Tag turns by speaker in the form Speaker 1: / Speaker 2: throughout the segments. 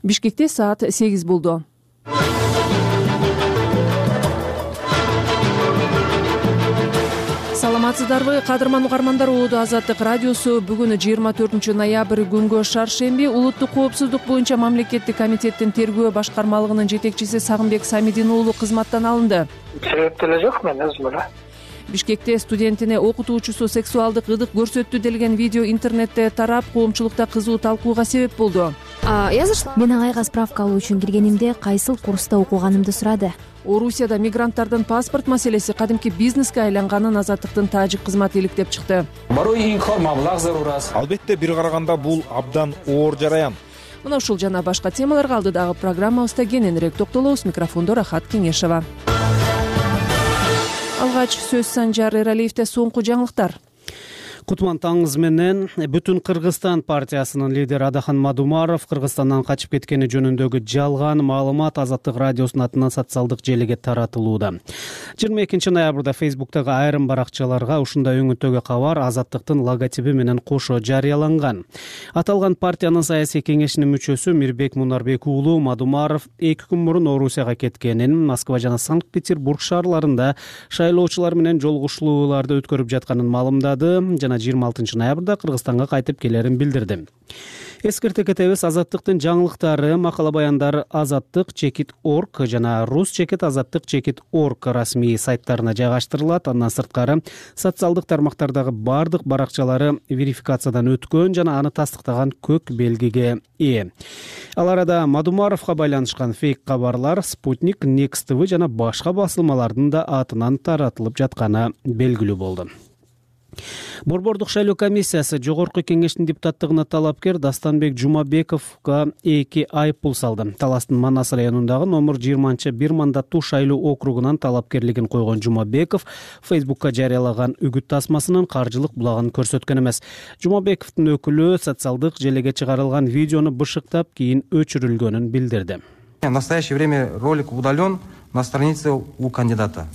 Speaker 1: Бишкекте саат 8 болду. Саламатсыздарбы, кадырман угармандар. Улуу Азаттык радиосу бүгүн 24 ноябрь күнгө шаршемби улуттук коопсуздук боюнча мамлекеттик комитеттин тергөө башкармалыгынын жетекчиси Сагынбек Самидин уулу кызматтан алынды.
Speaker 2: Себеп деле жок, мен өзүм эле.
Speaker 1: Бишкекте студентине окутуучусу сексуалдык ыдык көрсөттү делген видео интернетте тарап, коомчулукта кызуу талкууга себеп болду.
Speaker 3: Мен агайга справка алуу үчүн киргенимде кайсыл курста окуганымды сурады.
Speaker 1: Орусияда мигранттардын паспорт маселеси кадимки бизнеске айланганын Азаттыктын тажик кызматы иликтеп чыкты.
Speaker 4: Албетте, бир караганда бул абдан оор жараян.
Speaker 1: Мына ушул жана башка темаларга алдыдагы программабызда кененирээк токтолобуз. Микрофондо Рахат Кеңешева. Алгач сөз Санжар Эралиевде соңку жаңылыктар.
Speaker 5: Кутман таңыз менен Бүтүн Кыргызстан партиясынын лидери Адахан Мадумаров Кыргызстандан качып кеткени жөнүндөгү жалган маалымат Азаттык радиосунун атынан социалдык желиге таратылууда. 22 ноябрда Фейсбуктагы айрым баракчаларга ушундай өңүттөгү кабар Азаттыктын логотиби менен кошо жарыяланган. Аталган партиянын саясий кеңешинин мүчөсү Мирбек Мунарбек уулу Мадумаров 2 күн мурун Орусияга кеткенин, Москва жана Санкт-Петербург шаарларында шайлоочулар менен жолугушууларды өткөрүп жатканын маалымдады жана 26 ноябрда Кыргызстанга кайтып келерин билдирди. Эскерте кетебиз, Азаттыктын жаңылыктары, макала баяндары azattik.org жана rus.azattik.org расмий сайттарына жайгаштырылат. Андан сырткары социалдык тармактардагы бардык баракчалары верификациядан өткөн жана аны тастыктаган көк белгиге ээ. Ал арада Мадумаровго байланышкан фейк кабарлар Спутник, Next TV жана башка басылмалардын да атынан таратылып жатканы белгилүү болду. Борбордук шайлоо комиссиясы Жогорку кеңештин депутаттыгына талапкер Дастанбек Жумабековго 2 айыппул салды. Таластын Манас районундагы номер 20 бир мандаттуу шайлоо округунан талапкерлигин койгон Жумабеков Фейсбукка жарыялаган үгүт тасмасынын каржылык булагын көрсөткөн эмес. Жумабековдун өкүлү социалдык желеге чыгарылган видеону бышыктап, кийин өчүрүлгөнүн билдирди.
Speaker 6: В настоящее время ролик удален на странице у кандидата.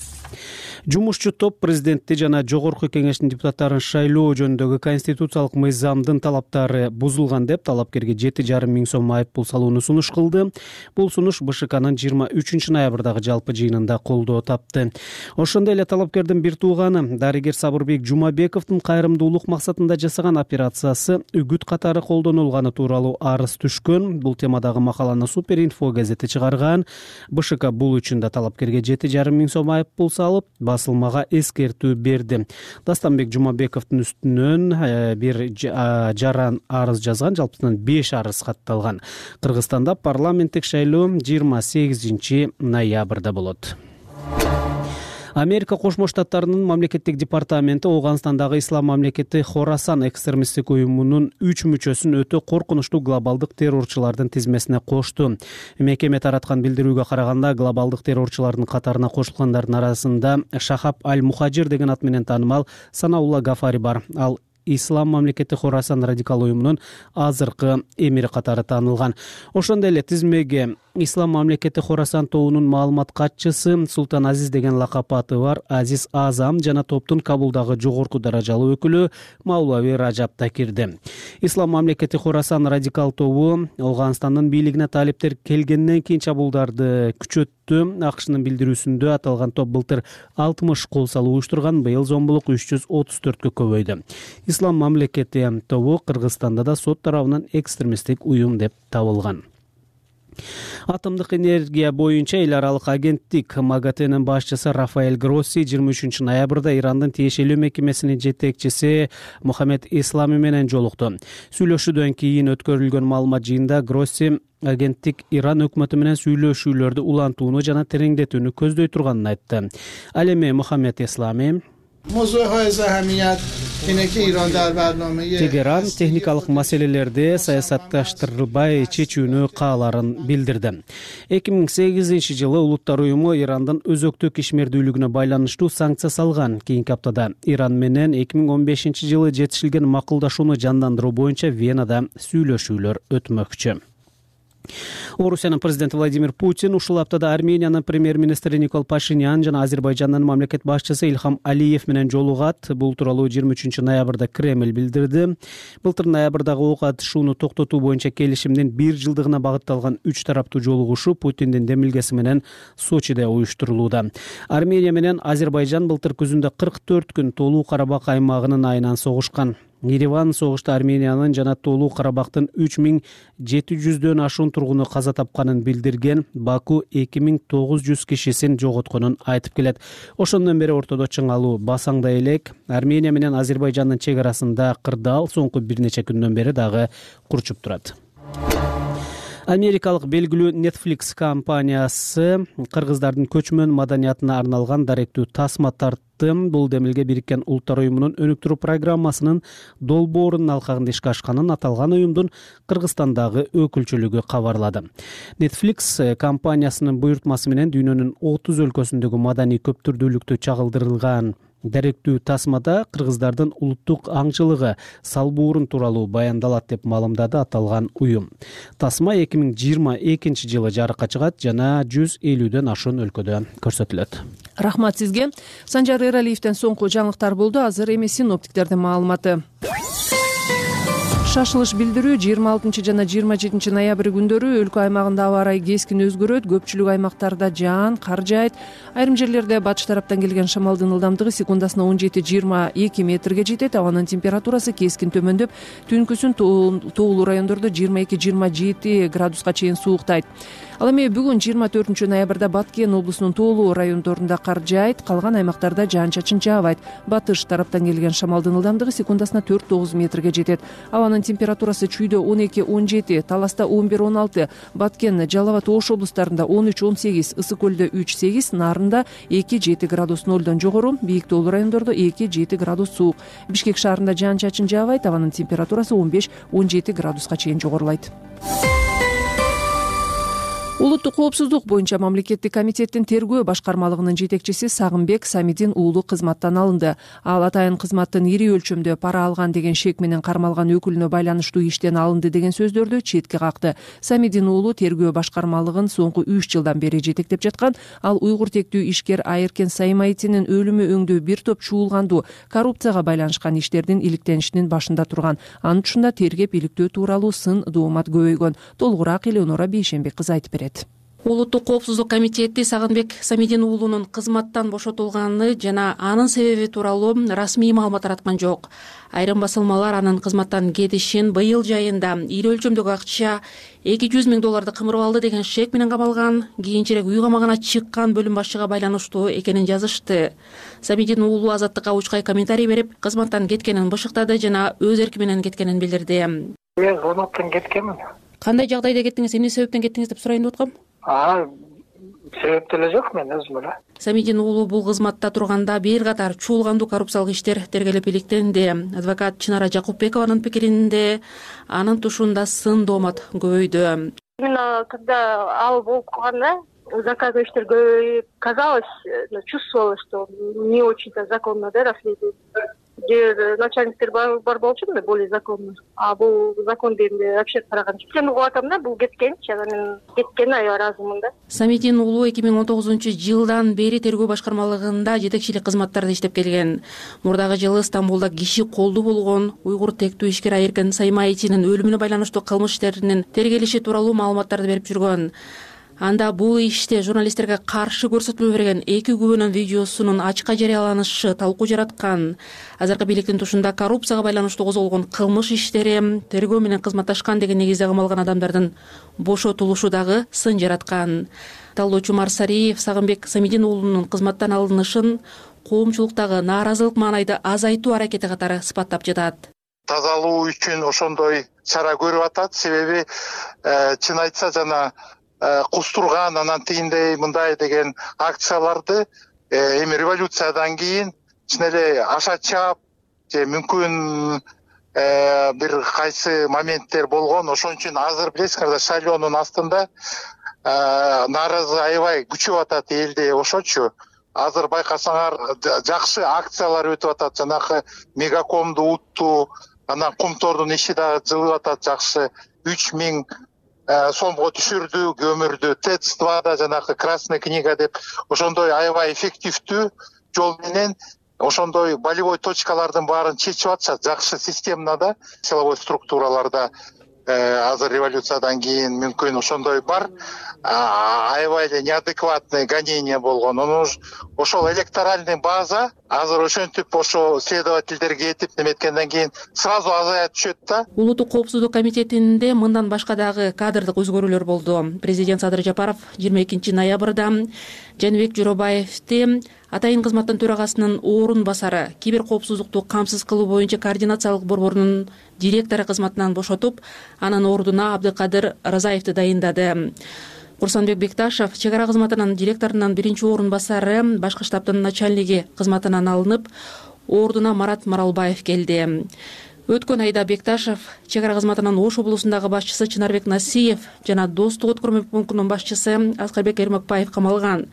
Speaker 5: Жумушчу топ президентти жана Жогорку кеңештин депутаттарын шайлоо жөнүндөгү конституциялык мыйзамдын талаптары бузулган деп талапкерге 7,5 миң сом айыппул салууну сунуш кылды. Бул сунуш БШКнын 23 ноябрдагы жалпы жыйынында колдоо тапты. Ошондой эле талапкердин бир тууганы дарыгер Сабырбек Жумабековдун кайрымдуулук максатында жасаган операциясы үгүт катары колдонулганы тууралуу арыз түшкөн. Бул темадагы макаланы Суперинфо газети чыгарган. БШК бул үчүн да талапкерге 7,5 миң сом айыппул салып, басылмага эскертүү берди. Дастанбек Жумабековдун үстүнөн бир жаран арыз жазган, жалпысынан 5 арыз катталган. Кыргызстанда парламенттик шайлоо 28 ноябрда болот. Америка Кошмо Штаттарынын мамлекеттик департаменти Ооганстандагы Ислам мамлекети Хорасан экстремисттик уюмунун 3 мүчөсүн өтө коркунучтуу глобалдык террорчулардын тизмесине кошту. Мекеме тараткан билдирүүгө караганда, глобалдык террорчулардын катарына кошулгандардын арасында Шахаб аль-Мухажир деген ат менен таанымал Санаулла Гафари бар. Ал Ислам мамлекети Хорасан радикал уюмунун азыркы эмири катары таанылган. Ошондой эле тизмеге Ислам мамлекети Хорасан тобунун маалымат катчысы Султан Азиз деген лакап аты бар Азиз Азам жана топтун Кабулдагы жогорку даражалуу өкүлү Маулави Ражаб да кирди. Ислам мамлекети Хорасан радикал тобу Ооганстандын бийлигине талиптер келгенден кийин чабуулдарды күчөттү. АКШнын билдирүүсүндө аталган топ былтыр 60 кол салуу уюштурган, быйыл зомбулук 334кө көбөйдү. Ислам мамлекети тобу Кыргызстанда да сот тарабынан экстремисттик уюм деп табылган. Атомдук энергия боюнча эл аралык агенттик МАГАТЭнин башчысы Рафаэль Гросси 23 ноябрда Ирандын тиешелүү мекемесинин жетекчиси Мухаммед Ислами менен жолукту. Сүйлөшүүдөн кийин өткөрүлгөн маалымат жыйында Гросси агенттик Иран өкмөтү менен сүйлөшүүлөрдү улантууну жана тереңдетүүнү көздөй турганын айтты. Ал эми Мухаммед Ислами Тегеран техникалык маселелерди саясатташтырбай чечүүнү кааларын билдирди. 2008 жылы Улуттар уюму Ирандын өзөктүк ишмердүүлүгүнө байланыштуу санкция салган. Кийинки аптада Иран менен 2015 жылы жетишилген макулдашууну жандандыруу боюнча Венада сүйлөшүүлөр өтмөкчү. Орусиянын президенти Владимир Путин ушул аптада Армениянын премьер-министри Никол Пашинян жана Азербайжандын мамлекет башчысы Илхам Алиев менен жолугат. Бул тууралуу 23-ноябрда Кремль билдирди. Былтыр ноябрдагы ок атышууну токтотуу боюнча келишимдин 1 жылдыгына багытталган 3 тараптуу жолугушуу Путиндин демилгеси менен Сочиде уюштурулууда. Армения менен Азербайжан былтыр күзүндө 44 күн Тоолуу Карабак аймагынын айынан согушкан. Ереван согушта Армениянын жана Тоолуу Карабактын 3700дөн ашуун тургуну каза тапканын билдирген. Баку 2900 кишисин жоготконун айтып келет. Ошондон бери ортодо чыңалуу басаңдай элек. Армения менен Азербайжандын чек арасында кырдаал соңку бир нече күндөн бери дагы курчуп турат. Америкалык белгилүү Netflix компаниясы кыргыздардын көчмөн маданиятына арналган даректүү тасма тартты. Бул демилге Бириккен Улуттар уюмунун өнүктүрүү программасынын долбоорунун алкагында ишке ашканын аталган уюмдун Кыргызстандагы өкүлчүлүгү кабарлады. Netflix компаниясынын буйртмасы менен дүйнөнүн 30 өлкөсүндөгү маданий көптүрдүүлүктү чагылдырылган даректүү тасмада кыргыздардын улуттук аңчылыгы, салбуурун тууралуу баяндалат деп маалымдады аталган уюм. Тасма 2022 жылы жарыкка чыгат жана 150дөн ашуун өлкөдө көрсөтүлөт.
Speaker 1: Рахмат сизге. Санжар Эралиевден соңку жаңылыктар болду. Азыр эми синоптиктердин маалыматы. Шашылыш билдирүү 26 жана 27 ноябрь күндөрү өлкө аймагында аба ырайы кескин өзгөрөт. Көпчүлүк аймактарда жаан, кар жаайт. Айрым жерлерде батыш тараптан келген шамалдын ылдамдыгы секундасына 17-22 метрге жетет. Абанын температурасы кескин төмөндөп, түнкүсүн тоолуу райондордо 22-27 градуска чейин сууктайт. Ал эми бүгүн 24 ноябрда Баткен облусунун тоолуу райондорунда кар жаайт, калган аймактарда жаан-чачын жаабайт. Батыш тараптан келген шамалдын ылдамдыгы секундасына 4-9 метрге жетет. Абанын температурасы чүйдө 12-17, Таласта 11-16, Баткен, Жалал абад, Ош облустарында 13-18, Ысык көлдө 3-8, Нарында 2-7 градус нолдон жогору, бийик тоолуу райондордо 2-7 градус суук. Бишкек шаарында жаан-чачын жаабайт, абанын температурасы 15-17 градуска чейин жогорулайт. Улуттук коопсуздук боюнча мамлекеттик комитеттин тергөө башкармалыгынын жетекчиси Сагынбек Самидин уулу кызматтан алынды. Ал атайын кызматтын ири өлчөмдө пара алган деген шек менен кармалган өкүлүнө байланыштуу иштен алынды деген сөздөрдү четке какты. Самидин уулу тергөө башкармалыгын соңку 3 жылдан бери жетектеп жаткан. Ал уйгур тектүү ишкер Айыркен Саймайтинин өлүмү өңдүү бир топ чуулгандуу коррупцияга байланышкан иштердин иликтенишинин башында турган. Анын тушунда тергеп иликтөө тууралуу сын доомат көбөйгөн. Толугураак Элеонора Бейшенбек кызы айтып берет.
Speaker 7: Улуттук коопсуздук комитети Сагынбек Самидин уулунун кызматтан бошотулганы жана анын себеби тууралуу расмий маалымат тараткан жок. Айрым басылмалар анын кызматтан кетишин быйыл жайында ири өлчөмдөгү акча $200 000 кымырып алды деген шек менен кабалган, кийинчерээк үй камагына чыккан бөлүм башчыга байланыштуу экенин жазышты. Самидин уулу Азаттыкка учкай комментарий берип, кызматтан кеткенин бышыктады жана өз эрки менен кеткенин билдирди.
Speaker 2: Мен кызматтан кеткенмин.
Speaker 7: Кандай жагдайда кеттиңиз, эмне себептен кеттиңиз деп сурайын деп аткам?
Speaker 2: Себеп деле жок, мен өзүм эле.
Speaker 7: Самидин уулу бул кызматта турганда бир катар чуулгандуу коррупциялык иштер тергелип иликтенди. Адвокат Чынара Жакупбекованын пикиринде анын тушунда сын доомат көбөйдү.
Speaker 8: Именно когда ал болуп калганда заказной иштер көбөйүп, казалось, чувствовалось, что не очень-то законно, да, расследование. Где начальниктер бар болчу да, более законно. А бул закон дегенде вообще караганчы. Сен угуп атам да, бул кеткенчи, мен кеткен аязымын да.
Speaker 7: Самидин уулу 2019 жылдан бери тергөө башкармалыгында жетекчилик кызматтарда иштеп келген. Мурдагы жылы Стамбулда киши колду болгон уйгур тектүү ишкер Айыркен Саймайтинин өлүмүнө байланыштуу кылмыш иштеринин тергелиши тууралуу маалыматтарды берип жүргөн. Анда бул иште журналисттерге каршы көрсөтүлө берген 2 күбөнүн видеосунун ачыкка жарыяланышы талкуу жараткан. Азыркы бийликтин тушунда коррупцияга байланыштуу козголгон кылмыш иштери тергөө менен кызматташкан деген негизде камалган адамдардын бошотулушу дагы сын жараткан. Талоочу Марсариев Сагынбек Самидин уулунун кызматтан алынышын коомчулуктагы нааразылык маанайды азайтуу аракети катары сыпаттап жатат.
Speaker 9: Тазалоо үчүн ошондой чара көрүп атат. Себеби чын айтса жана кустурган, анан тигиндей мындай деген акцияларды эми революциядан кийин чын эле аша чаап же мүмкүн бир кайсы моменттер болгон. Ошон үчүн азыр билесиңер, шайлоонун астында нааразы аябай күчөп атат элде. Ошочу азыр байкасаңар жакшы акциялар өтүп атат. Жанагы мегакомду утту, анан Кумтордун иши дагы жылып атат жакшы. 3000 сомго түшүрдү, көмүрдү. ТЭЦ-2да жанагы красная книга деп ошондой аябай эффективдүү жол менен ошондой болевой точкалардын баарын чечип атышат. Жакшы системада, силовой структураларда азыр революциядан кийин мүмкүн ошондой бар. Аябай эле неадекватный гонение болгон. Ошол электоральный база азыр ошентип ошо следовательдерге этип неметкенден кийин сразу азая түшөт да.
Speaker 7: Улуттук коопсуздук комитетинде мындан башка дагы кадрдык өзгөрүүлөр болду. Президент Садыр Жапаров 22 ноябрда Жаныбек Жоробаевди атайын кызматтын төрагасынын орун басары, кибер коопсуздукту камсыз кылуу боюнча координациялык борборунун директору кызматынан бошотуп, анын ордуна Абдыкадыр Разаевди дайындады. Курсанбек Бекташев чек ара кызматынын директорунун биринчи орун басары, башкы штабтын начальниги кызматынан алынып, ордуна Марат Маралбаев келди. Өткөн айда Бекташев чек ара кызматынын Ош облусундагы башчысы Чынарбек Насиев жана Достук өткөрмө пунктунун башчысы Аскарбек Эрмекбаев камалган.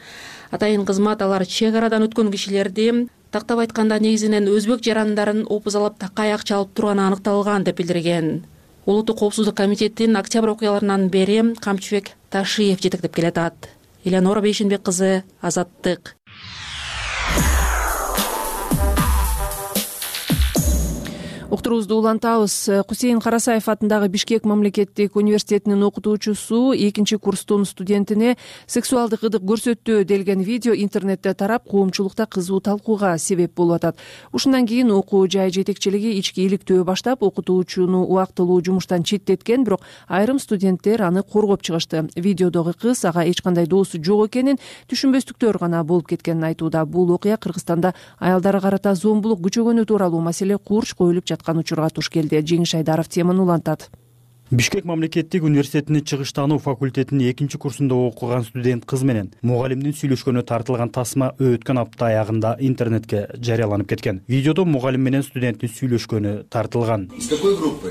Speaker 7: Атайын кызмат алар чек арадан өткөн кишилерди, тактап айтканда негизинен өзбек жарандарын опузалап такай акча алып турганы аныкталган деп билдирген. Улуттук коопсуздук комитетинин октябрь окуяларынан бери Камчыбек Ташиев жетектеп келатат. Элеонора Бейшенбек кызы, Азаттык.
Speaker 1: Уктуруубузду улантабыз. Кусейин Карасаев атындагы Бишкек мамлекеттик университетинин окутуучусу 2-курстун студентине сексуалдык ыдык көрсөттү делген видео интернетте тарап, коомчулукта кызуу талкууга себеп болуп атат. Ушундан кийин окуу жай жетекчилиги ички иликтөө баштап, окутуучуну убактылуу жумуштан четтеткен, бирок айрым студенттер аны коргоп чыгышты. Видеодогу кыз ага эч кандай доосу жок экенин, түшүнбөстүктөр гана болуп кеткенин айтууда. Бул окуя Кыргызстанда аялдарга карата зомбулук күчөгөнү тууралуу маселе курч коюлуп учурга туш келди. Жеңиш Айдаров теманы улантат.
Speaker 10: Бишкек мамлекеттик университетинин чыгыштануу факультетинин 2-курсунда окуган студент кыз менен мугалимдин сүйлөшкөнү тартылган тасма өткөн апта аягында интернетке жарыяланып кеткен. Видеодо мугалим менен студенттин сүйлөшкөнү тартылган.
Speaker 11: Из какой группы?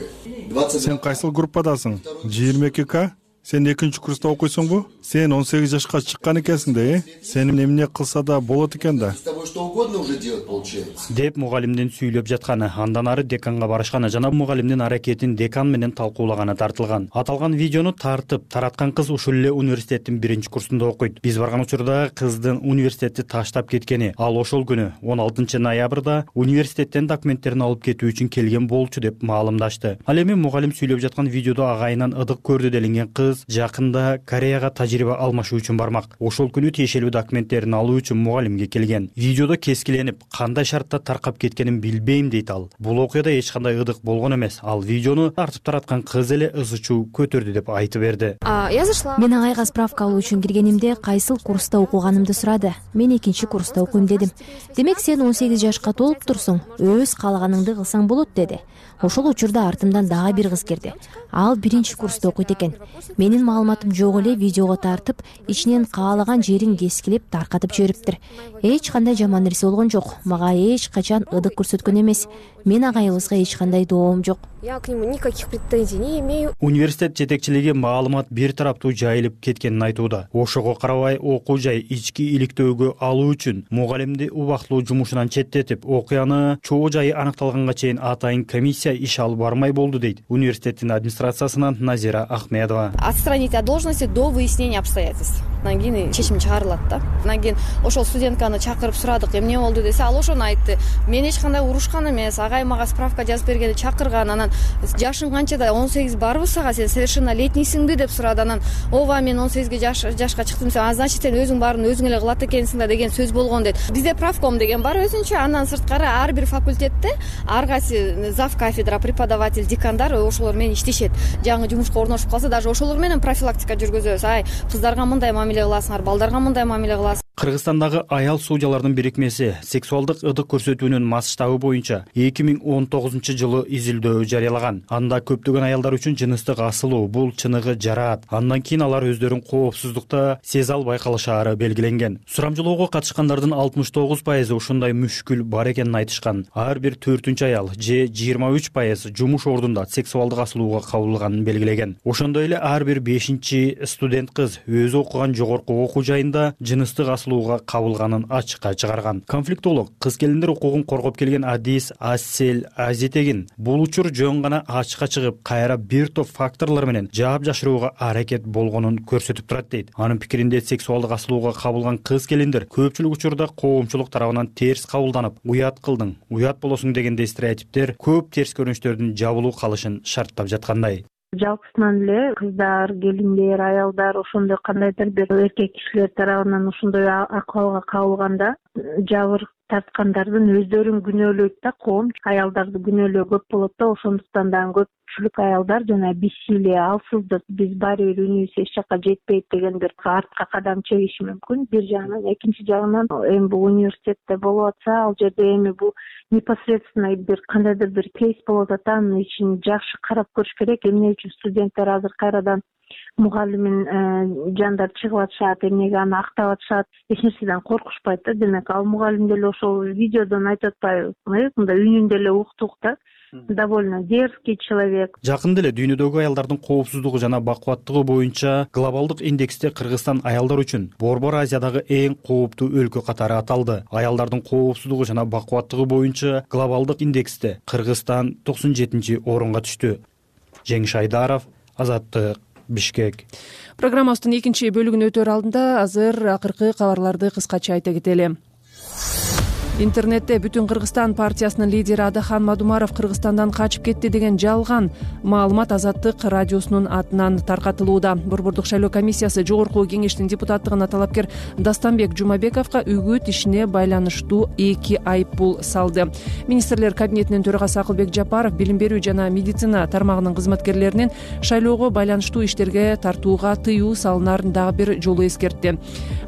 Speaker 12: Сен кайсыл группадасың? 22К? Сен 2-курста окуйсуңбу? Сен 18 жашка чыккан экенсиң да, Сени эмне кылса да болот экен да.
Speaker 11: С тобой что угодно уже делать получается.
Speaker 10: Деп мугалимдин сүйлөп жатканы, андан ары деканга барышканы жана мугалимдин аракетин декан менен талкуулаганы тартылган. Аталган видеону тартып тараткан кыз ушул эле университеттин 1-курсунда окуйт. Биз барган учурда кыздын университетти таштап кеткени, ал ошол күнү 16 ноябрда университеттен документтерин алып кетүү үчүн келген болчу деп маалымдашты. Ал эми мугалим сүйлөп жаткан видеодо агайынан ыдык көрдү делинген кыз жакында Кореяга тажрыйба алмашуу үчүн бармак. Ошол күнү тиешелүү документтерин алуу үчүн мугалимге келген. Видеодо кескиленип, кандай шартта таркап кеткенин билбейм дейт ал. Бул окуяда эч кандай ыдык болгон эмес. Ал видеону тартып тараткан кыз эле ызы-чуу көтөрдү деп айтып берди.
Speaker 3: Мен агайга справка алуу үчүн киргенимде кайсыл курста окуганымды сурады. Мен 2-курста окуйм дедим. Демек сен 18 жашка толуп турсуң, өз каалаганыңды кылсаң болот деди. Ошол учурда артымдан дагы бир кыз кирди. Ал 1-курста окуйт экен. Менин маалыматым жок эле видеого тартып, ичинен каалаган жерин кескилеп таркатып жибериптир. Эч кандай жаман нерсе болгон жок. Мага эч качан ыдык көрсөткөн эмес. Мен агайыбызга эч кандай доом жок.
Speaker 13: Я к нему никаких претензий не имею.
Speaker 10: Университет жетекчилиги маалымат бир тараптуу жайылып кеткенин айтууда. Ошого карабай окуу жай ички иликтөөгө алуу үчүн мугалимди убактылуу жумушунан четтетип, окуяны чоо жайы аныкталганга чейин атайын комиссия иш алып бармай болду дейт университеттин администрациясынан Назира Ахмедова.
Speaker 13: Отстранить от должности до выяснения обстоятельств. Анан кийин чечим чыгарылат да. Анан кийин ошол студентканы чакырып сурадык, эмне болду десе, ал ошону айтты. Мен эч кандай урушкан эмес, агай мага справка жазып бергенде чакырган. Анан жашың канчада? 18 барбы сага? Сен совершеннолетнийсиңби деп сурады. Анан ооба, мен 18 жашка чыктым. Значит, сен өзүң баарын өзүң эле кылат экенсиң да деген сөз болгон дейт. Бизде правком деген бар өзүнчө. Андан сырткары ар бир факультетте ар кайсы зав кафедра, преподаватель, декандар ошолор менен иштешет. Жаңы жумушка орношуп калса, даже ошолор менен профилактика жүргүзөбүз. Ай, кыздарга мындай мамиле кыласыңар, балдарга мындай мамиле кыласыңар.
Speaker 10: Кыргызстандагы аял судьялардын бирикмеси сексуалдык ыдык көрсөтүүнүн масштабы боюнча 2019 жылы изилдөө жарыялаган. Анда көптөгөн аялдар үчүн жыныстык асылуу, бул чыныгы жараат. Андан кийин алар өздөрүн коопсуздукта сезе албай калышаары белгиленген. Сурамжылоого катышкандардын 69% ушундай мүшкүл бар экенин айтышкан. Ар бир 4-үчү аял же 23% жумуш ордунда сексуалдык асылууга кабылганын белгилеген. Ошондой эле ар бир 5-студент кыз өзү окуган жогорку окуу жайында жыныстык асылуу асылууга кабылганын ачыкка чыгарган. Конфликтолог кыз келиндер укугун коргоп келген Адис Ассел Азитегин бул учур жөн гана ачыкка чыгып, кайра бир топ факторлор менен жаап жашырууга аракет болгонун көрсөтүп турат дейт. Анын пикиринде сексуалдык асылууга кабылган кыз келиндер көпчүлүк учурда коомчулук тарабынан терс кабылданып, уят кылдың, уят болосуң дегендей стереотиптер көп терс көрүнүштөрдүн жабылуу калышын шарттап жаткандай.
Speaker 14: Жалпысынан эле кыздар, келиндер, аялдар ошондой кандайдыр бир эркек кишилер тарабынан ошондой акыбалга кабылганда жабыр тарткандардын өздөрүн күнөөлөйт да, коом аялдарды күнөөлөө көп болот да, ошондуктан дагы көпчүлүк аялдар жана бессилие, алсыздык, биз баары бир үнүбүз эч жакка жетпейт деген бир артка кадам чегиши мүмкүн бир жагынан. Экинчи жагынан эми бул университетте болуп атса, ал жерде эми бул непосредственно бир кандайдыр бир кейс болуп атат, анын ичин жакшы карап көрүш керек. Эмне үчүн студенттер азыр кайрадан мугалимин жандар чыгып атышат, эмнеге аны актап атышат, эч нерседен коркушпайт да. Демек ал мугалим деле ошол видеодон айтып атпайбы, мындай үнүндө эле уктук да. Довольно дерзкий человек.
Speaker 10: Жакында эле дүйнөдөгү аялдардын коопсуздугу жана бакубаттыгы боюнча глобалдык индексте Кыргызстан аялдар үчүн Борбор Азиядагы эң кооптуу өлкө катары аталды. Аялдардын коопсуздугу жана бакубаттыгы боюнча глобалдык индексте Кыргызстан 97-орунга түштү. Жеңиш Айдаров, Азаттык, Бишкек.
Speaker 1: Программабыздын экинчи бөлүгүнө өтөр алдында азыр акыркы кабарларды кыскача айта кетели. Интернетте Бүтүн Кыргызстан партиясынын лидери Адахан Мадумаров Кыргызстандан качып кетти деген жалган маалымат Азаттык радиосунун атынан таркатылууда. Борбордук шайлоо комиссиясы жогорку кеңештин депутаттыгына талапкер Дастанбек Жумабековго үгүт ишине байланыштуу 2 айыппул салды. Министрлер кабинетинин төрагасы Акылбек Жапаров билим берүү жана медицина тармагынын кызматкерлеринин шайлоого байланыштуу иштерге тартууга тыюу салынарын дагы бир жолу эскертти.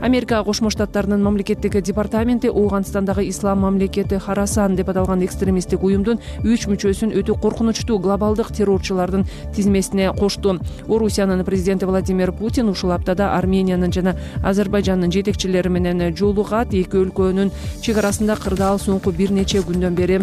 Speaker 1: Америка Кошмо Штаттарынын мамлекеттик департаменти Ооганстандагы Ислам мамлекети Харасан деп аталган экстремисттик уюмдун 3 мүчөсүн өтө коркунучтуу глобалдык террорчулардын тизмесине кошту. Орусиянын президенти Владимир Путин ушул аптада Армениянын жана Азербайжандын жетекчилери менен жолугат. Эки өлкөнүн чек арасында кырдаал соңку бир нече күндөн бери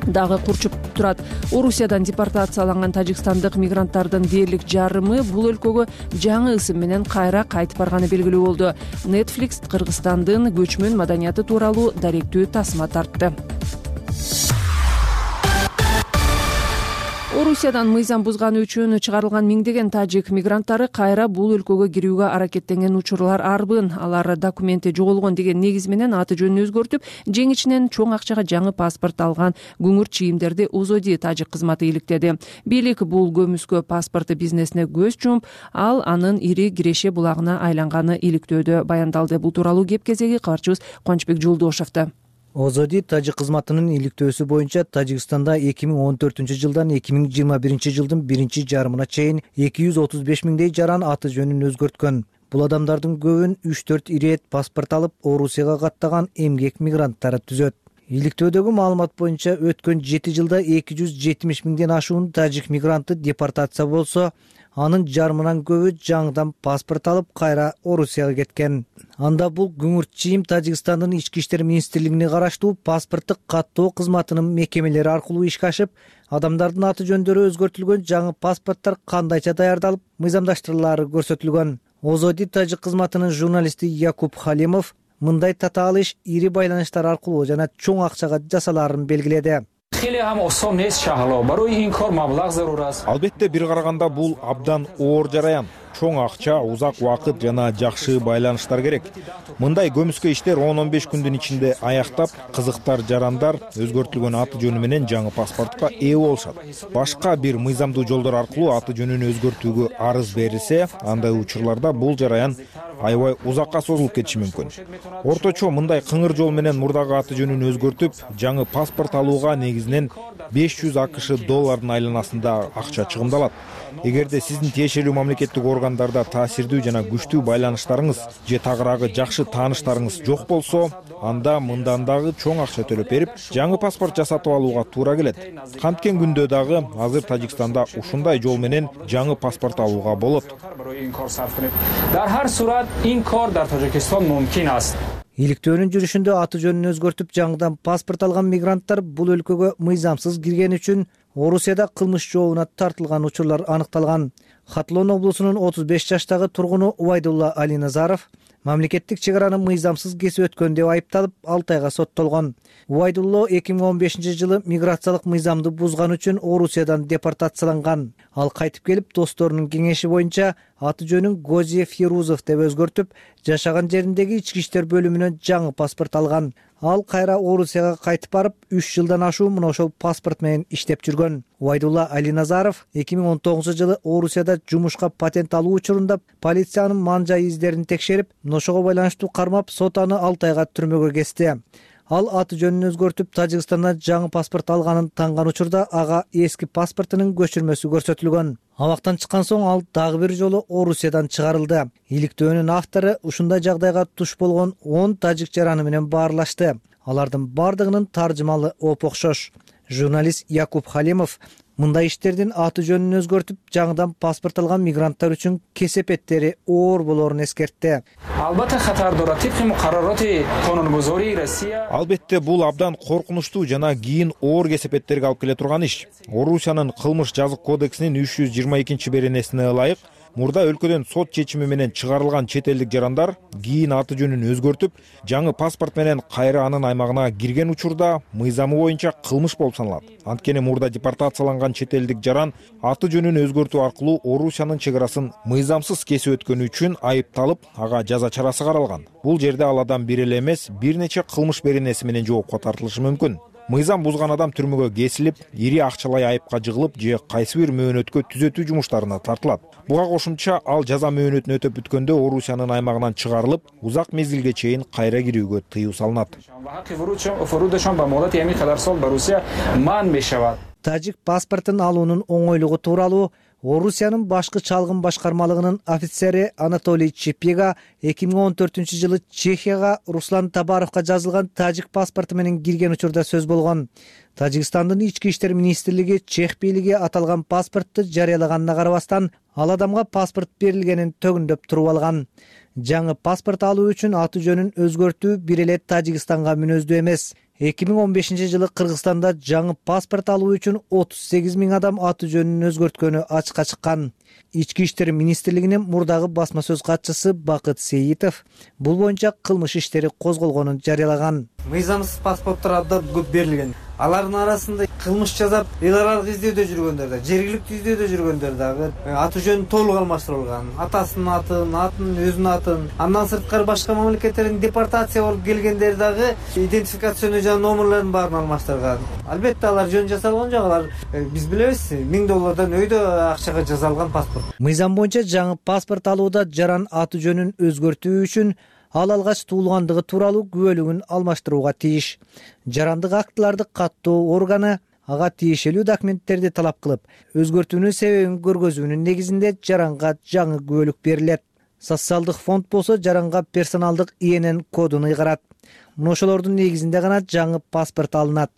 Speaker 1: дагы курчуп турат. Орусиядан депортацияланган тажикстандык мигранттардын дээрлик жарымы бул өлкөгө жаңы ысым менен кайра кайтып барганы белгилүү болду. Netflix Кыргызстандын көчмөн маданияты тууралуу даректүү тасма тартты. Орусиядан мыйзам бузганы үчүн чыгарылган миңдеген тажик мигранттары кайра бул өлкөгө кирүүгө аракеттенген учурлар арбын. Алар документи жоголгон деген негиз менен аты жөнүн өзгөртүп, жеңичинен чоң акчага жаңы паспорт алган күңүр чийимдерди ОЗОДИ тажик кызматы иликтеди. Бийлик бул көмүскө паспорты бизнесине көз жумуп, ал анын ири киреше булагына айланганы иликтөөдө баяндалды. Бул тууралуу кеп кезеги кабарчыбыз Кубанычбек Жолдошевдо.
Speaker 15: ОЗОДИ тажик кызматынын иликтөөсү боюнча Тажикстанда 2014-жылдан 2021-жылдын биринчи жарымына чейин 235 миңдей жаран аты жөнүн өзгөрткөн. Бул адамдардын көбүн 3-4 ирет паспорт алып Орусияга каттаган эмгек мигранттары түзөт. Иликтөөдөгү маалымат боюнча өткөн 7 жылда 270 миңден ашуун тажик мигранты депортация болсо, анын жарымынан көбү жаңыдан паспорт алып кайра Орусияга кеткен. Анда бул күңүр чийим Тажикстандын ички иштер министрлигине караштуу паспорттук каттоо кызматынын мекемелери аркылуу ишке ашып, адамдардын аты жөндөрү өзгөртүлгөн жаңы паспорттор кандайча даярдалып, мыйзамдаштырылары көрсөтүлгөн. ОЗОДИ тажик кызматынын журналисти Якуб Халимов мындай татаал иш ири байланыштар аркылуу жана чоң акчага жасалаарын белгиледи.
Speaker 4: Албетте бир караганда бул абдан оор жараян. Чоң акча, узак убакыт жана жакшы байланыштар керек. Мындай көмүскө иштер 10-15 күндүн ичинде аяктап, кызыктар жарандар өзгөртүлгөн аты жөнү менен жаңы паспортко ээ болушат. Башка бир мыйзамдуу жолдор аркылуу аты жөнүн өзгөртүүгө арыз берилсе, андай учурларда бул жараян аябай узакка созулуп кетиши мүмкүн. Орточо мындай кыңыр жол менен мурдагы аты жөнүн өзгөртүп, жаңы паспорт алууга негизинен $500 акш айланасында акча чыгымдалат. Эгерде сиздин тиешелүү мамлекеттик органдарда таасирдүү жана күчтүү байланыштарыңыз же тагыраагы жакшы тааныштарыңыз жок болсо, анда мындан дагы чоң акча төлөп берип, жаңы паспорт жасатып алууга туура келет. Канткен күндө дагы азыр Тажикстанда ушундай жол менен жаңы паспорт алууга болот.
Speaker 15: Иликтөөнүн жүрүшүндө аты жөнүн өзгөртүп жаңыдан паспорт алган мигранттар бул өлкөгө мыйзамсыз кирген үчүн Орусияда кылмыш жообуна тартылган учурлар аныкталган. Хатлон облусунун 35 жаштагы тургуну Убайдулла Алиназаров мамлекеттик чек араны мыйзамсыз кесип өткөн деп айыпталып 6 айга соттолгон. Убайдулла 2015-жылы миграциялык мыйзамды бузган үчүн Орусиядан депортацияланган. Ал кайтып келип, досторунун кеңеши боюнча аты жөнүн Гозиев Фирузов деп өзгөртүп, жашаган жериндеги ички иштер бөлүмүнөн жаңы паспорт алган. Ал кайра Орусияга кайтып барып, 3 жылдан ашуу мына ошол паспорт менен иштеп жүргөн. Убайдулла Алиназаров 2019-жылы Орусияда жумушка патент алуу учурунда полициянын ман-жай издерин текшерип, ошого байланыштуу кармап, сот аны 6 айга түрмөгө кести. Ал аты жөнүн өзгөртүп, Тажикстандан жаңы паспорт алганын танган учурда ага эски паспортунун көчүрмөсү көрсөтүлгөн. Абактан чыккан соң ал дагы бир жолу Орусиядан чыгарылды. Иликтөөнүн автору ушундай жагдайга туш болгон 10 тажик жараны менен баарлашты. Алардын бардыгынын таржымалы оп окшош. Журналист Якуб Халимов мындай иштердин аты жөнүн өзгөртүп, жаңыдан паспорт алган мигранттар үчүн кесепеттери оор болоорун эскертти.
Speaker 4: Албетте бул абдан коркунучтуу жана кийин оор кесепеттерге алып келе турган иш. Орусиянын кылмыш жазык кодексинин 322-беренесине ылайык мурда өлкөдөн сот чечими менен чыгарылган чет элдик жарандар кийин аты жөнүн өзгөртүп, жаңы паспорт менен кайра анын аймагына кирген учурда мыйзамы боюнча кылмыш болуп саналат. Анткени мурда депортацияланган чет элдик жаран аты жөнүн өзгөртүү аркылуу Орусиянын чек арасын мыйзамсыз кесип өткөнү үчүн айыпталып, ага жаза чарасы каралган. Бул жерде ал адам бир эле эмес, бир нече кылмыш беренеси менен жоопко тартылышы мүмкүн. Мыйзам бузган адам түрмөгө кесилип, ири акчалай айыпка жыгылып же кайсы бир мөөнөткө түзөтүү жумуштарына тартылат. Буга кошумча ал жаза мөөнөтүн өтөп бүткөндө Орусиянын аймагынан чыгарылып, узак мезгилге чейин кайра кирүүгө тыюу салынат.
Speaker 15: Тажик паспортун алуунун оңойлугу тууралуу Орусиянын башкы чалгын башкармалыгынын офицери Анатолий Чепега 2014-жылы Чехияга Руслан Табаровго жазылган тажик паспорту менен кирген учурда сөз болгон. Тажикстандын ички иштер министрлиги Чех бийлиги аталган паспортту жарыялаганына карабастан, ал адамга паспорт берилгенин төгүндөп туруп алган. Жаңы паспорт алуу үчүн аты жөнүн өзгөртүү бир эле Тажикстанга мүнөздүү эмес. 2015-жылы Кыргызстанда жаңы паспорт алуу үчүн 38 000 адам аты жөнүн өзгөрткөнү ачыкка чыккан. Ички иштер министрлигинин мурдагы басма сөз катчысы Бакыт Сейитов бул боюнча кылмыш иштери козголгонун жарыялаган.
Speaker 6: Мыйзамсыз паспорттор абдан көп берилген. Алардын арасында кылмыш жасап, эл аралык издөөдө жүргөндөр да, жергиликтүү издөөдө жүргөндөр дагы аты жөнүн толук алмаштырылган. Атасынын атын, өзүнүн атын. Андан сырткары башка мамлекеттерден депортация болуп келгендер дагы идентификацион жана номерлерин баарын алмаштырган. Албетте алар жөн жасалган жок, алар биз билебиз, $1000 өйдө акчага жасалган паспорт.
Speaker 15: Мыйзам боюнча жаңы паспорт алууда жаран аты жөнүн өзгөртүү үчүн ал алгач туулгандыгы тууралуу күбөлүгүн алмаштырууга тийиш. Жарандык актыларды каттоо органы ага тиешелүү документтерди талап кылып, өзгөртүүнүн себебин көргөзүүнүн негизинде жаранга жаңы күбөлүк берилет. Социалдык фонд болсо жаранга персоналдык ИНН кодун ыйгарат. Мына ошолордун негизинде гана жаңы паспорт алынат.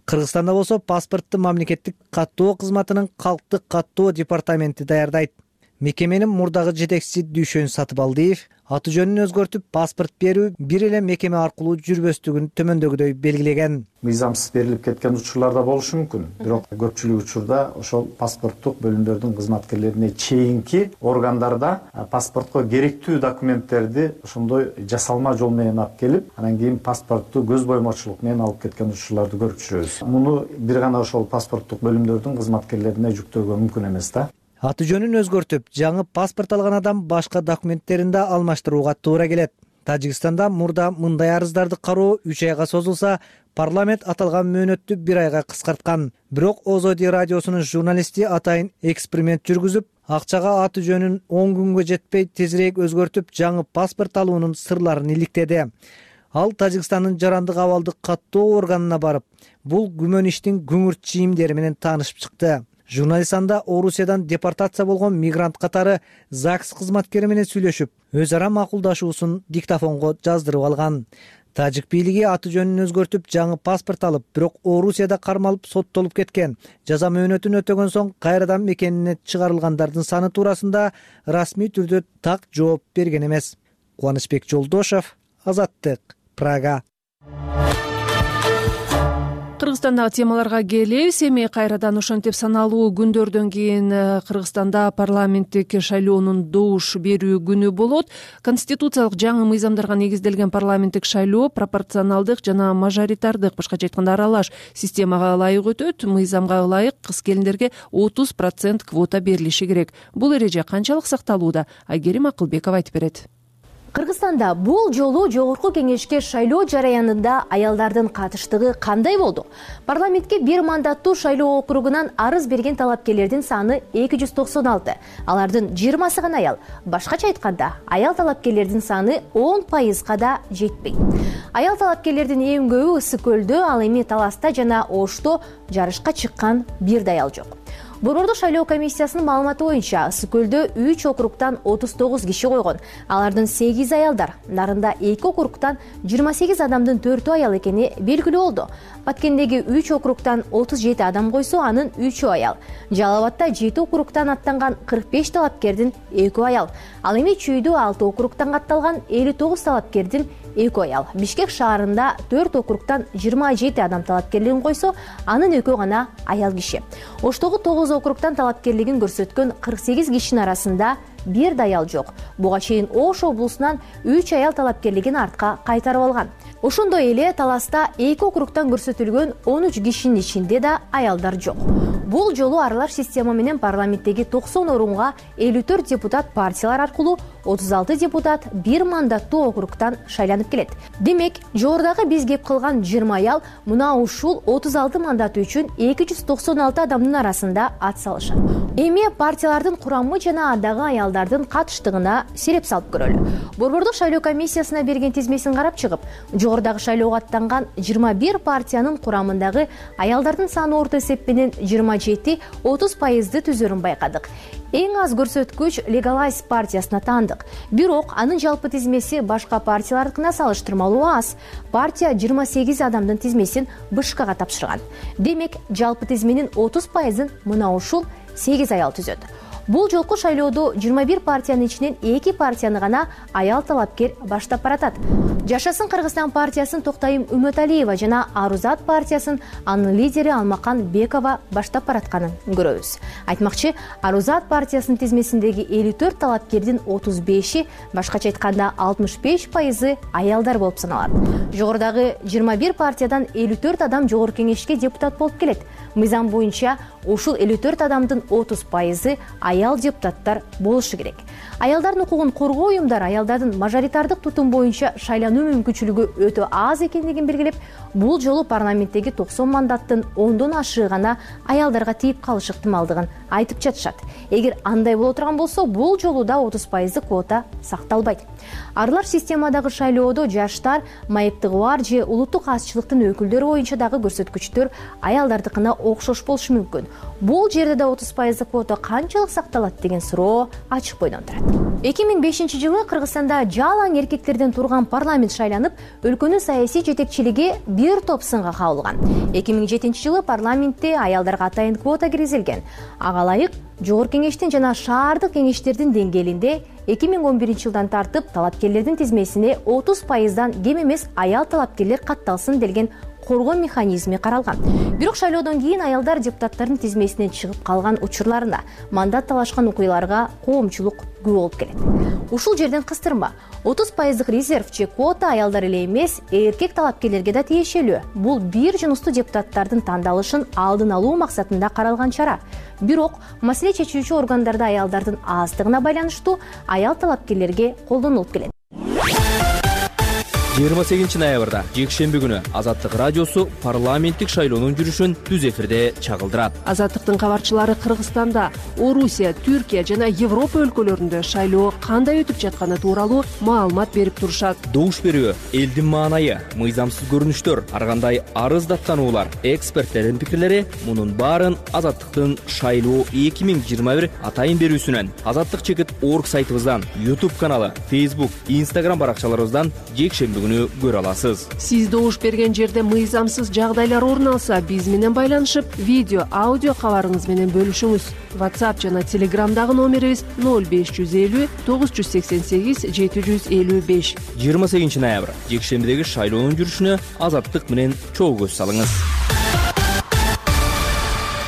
Speaker 15: Кыргызстанда болсо паспортту мамлекеттик каттоо кызматынын калктык каттоо департаменти даярдайт. Мекеменин мурдагы жетекчиси Дүйшөн Сатыбалдиев аты жөнүн өзгөртүп паспорт берүү бир эле мекеме аркылуу жүрбөстүгүн төмөндөгүдөй белгилеген.
Speaker 16: Мыйзамсыз берилип кеткен учурлар да болушу мүмкүн. Бирок көпчүлүк учурда ошол паспорттук бөлүмдөрдүн кызматкерлерине чейинки органдарда паспортко керектүү документтерди ошондой жасалма жол менен алып келип, анан кийин паспортту көз боймочулук менен алып кеткен учурларды көрүп жүрөбүз. Муну бир гана ошол паспорттук бөлүмдөрдүн кызматкерлерине жүктөөгө мүмкүн эмес да.
Speaker 15: Аты жөнүн өзгөртүп, жаңы паспорт алган адам башка документтерин да алмаштырууга туура келет. Тажикстанда мурда мындай арыздарды кароо 3 айга созулса, парламент аталган мөөнөттү 1 айга кыскарткан. Бирок Озоди радиосунун журналисти атайын эксперимент жүргүзүп, акчага аты жөнүн 10 күнгө жетпей тезирээк өзгөртүп, жаңы паспорт алуунун сырларын иликтеди. Ал Тажикстандын жарандык абалдык каттоо органына барып, бул күмөн иштин күңүрт чийимдери менен таанышып чыкты. Журналист анда Орусиядан депортация болгон мигрант катары ЗАГС кызматкери менен сүйлөшүп, өз ара макулдашуусун диктофонго жаздырып алган. Тажик бийлиги аты жөнүн өзгөртүп, жаңы паспорт алып, бирок Орусияда кармалып соттолуп кеткен, жаза мөөнөтүн өтөгөн соң кайрадан мекенине чыгарылгандардын саны туурасында расмий түрдө так жооп берген эмес. Кубанычбек Жолдошев, Азаттык, Прага.
Speaker 1: Кыргызстандагы темаларга келебиз. Эми кайрадан ошентип саналуу күндөрдөн кийин Кыргызстанда парламенттик шайлоонун добуш берүү күнү болот. Конституциялык жаңы мыйзамдарга негизделген парламенттик шайлоо пропорционалдык жана мажоритардык, башкача айтканда аралаш системага ылайык өтөт. Мыйзамга ылайык кыз келиндерге 30% квота берилиши керек. Бул эреже канчалык сакталууда? Айгерим Акылбекова айтып берет.
Speaker 3: Кыргызстанда бул жолу жогорку кеңешке шайлоо жараянында аялдардын катыштыгы кандай болду? Парламентке бир мандаттуу шайлоо округунан арыз берген талапкерлердин саны 296. Алардын 20сы гана аял. Башкача айтканда, аял талапкерлердин саны 10%га да жетпейт. Аял талапкерлердин эң көбү Ысык көлдө, ал эми Таласта жана Ошто жарышка чыккан бир да аял жок. Борбордук шайлоо комиссиясынын маалыматы боюнча Ысык көлдө 3 округтан 39 киши койгон. Алардын 8 аялдар. Нарында 2 округтан 28 адамдын 4 аял экени белгилүү болду. Баткендеги 3 округтан 37 адам койсо, анын 3 аял. Жалал Абадта 7 округтан аттанган 45 талапкердин 2 аял. Ал эми Чүйдө 6 округтан катталган 59 талапкердин 2 аял. Бишкек шаарында 4 округтан 27 адам талапкерлигин койсо, анын 2 гана аял киши. Оштогу 9 округтан талапкерлигин көрсөткөн 48 кишинин арасында бир да аял жок. Буга чейин Ош облусунан 3 аял талапкерлигин артка кайтарып алган. Ошондой эле Таласта 2 округтан көрсөтүлгөн 13 кишинин ичинде да аялдар жок. Бул жолу аралаш система менен парламенттеги 90 орунга 54 депутат партиялар аркылуу, 36 депутат бир мандаттуу округтан шайланып келет. Демек, жогорудагы биз кеп кылган 20 аял мына ушул 36 мандат үчүн 296 адамдын арасында ат салышат. Эми партиялардын курамы жана андагы аялдардын катыштыгына сереп салып көрөлү. Борбордук шайлоо комиссиясына берген тизмесин карап чыгып, жогорудагы шайлоого аттанган 21 партиянын курамындагы аялдардын саны орто эсеп менен 27-30%ды түзөрүн байкадык. Эң аз көрсөткүч Legalize партиясына таандык. Бирок анын жалпы тизмеси башка партиялардыкына салыштырмалуу аз. Партия 28 адамдын тизмесин БШКга тапшырган. Демек, жалпы тизменин 30%ын мына ушул 8 аял түзөт. Бул жолку шайлоодо 21 партиянын ичинен 2 партияны гана аял талапкер баштап баратат. Жашасын Кыргызстан партиясын Токтайым Үмөталиева жана Арузат партиясын анын лидери Алмакан Бекова баштап баратканын көрөбүз. Айтмакчы, Арузат партиясынын тизмесиндеги 54 талапкердин 35-и, башкача айтканда 65%ы аялдар болуп саналат. Жогорудагы 21 партиядан 54 адам жогорку кеңешке депутат болуп келет. Мыйзам боюнча ушул 54 адамдын 30%ы аял депутаттар болушу керек. Аялдардын укугун коргоо уюмдары аялдардын мажоритардык тутум боюнча шайлануу мүмкүнчүлүгү өтө аз экендигин белгилеп, бул жолу парламенттеги 90 мандаттын 10дон ашыгы гана аялдарга тийип калышы ыктымалдыгын айтып жатышат. Эгер андай боло турган болсо, бул жолу да 30% квота сакталбайт. Аралаш системадагы шайлоодо жаштар, майыптыгы бар же улуттук азчылыктын өкүлдөрү боюнча дагы көрсөткүчтөр аялдардыкына окшош болушу мүмкүн. Бул жерде да 30% квота канчалык сакталат деген суроо ачык бойдон турат. 2005-жылы Кыргызстанда жалаң эркектерден турган парламент шайланып, өлкөнүн саясий жетекчилиги бир топ сынга кабылган. 2007-жылы парламентте аялдарга атайын квота киргизилген. Ага ылайык жогорку кеңештин жана шаардык кеңештердин деңгээлинде 2011-жылдан тартып талапкерлердин тизмесине 30%дан кем эмес аял талапкерлер катталсын делген коргоо механизми каралган. Бирок шайлоодон кийин аялдар депутаттардын тизмесинен чыгып калган учурларында мандат талашкан окуяларга коомчулук күбө болуп келет. Ушул жерден кыстырма. 30% резерв же квота аялдар эле эмес, эркек талапкерлерге да тиешелүү. Бул бир жыныстуу депутаттардын тандалышын алдын алуу максатында каралган чара. Бирок маселе чечүүчү органдарда аялдардын аздыгына байланыштуу аял талапкерлерге колдонулуп келет.
Speaker 17: 28 ноябрда жекшемби күнү Азаттык радиосу парламенттик шайлоонун жүрүшүн түз эфирде чагылдырат.
Speaker 1: Азаттыктын кабарчылары Кыргызстанда, Орусия, Түркия жана Европа өлкөлөрүндө шайлоо кандай өтүп жатканы тууралуу маалымат берип турушат.
Speaker 17: Добуш берүү, элдин маанайы, мыйзамсыз көрүнүштөр, ар кандай арыз даттануулар, эксперттердин пикирлери мунун баарын Азаттыктын шайлоо 2021 атайын берүүсүнөн, azattik.org сайтыбыздан, YouTube каналы, Facebook, Instagram баракчаларыбыздан жекшемби көрө аласыз.
Speaker 1: Сиз добуш берген жерде мыйзамсыз жагдайлар орун алса, биз менен байланышып, видео, аудио кабарыңыз менен бөлүшүңүз. WhatsApp жана Telegramдагы номерибиз 0550 988 755.
Speaker 17: 28 ноябрь жекшембидеги шайлоонун жүрүшүнө Азаттык менен чогуу көз салыңыз.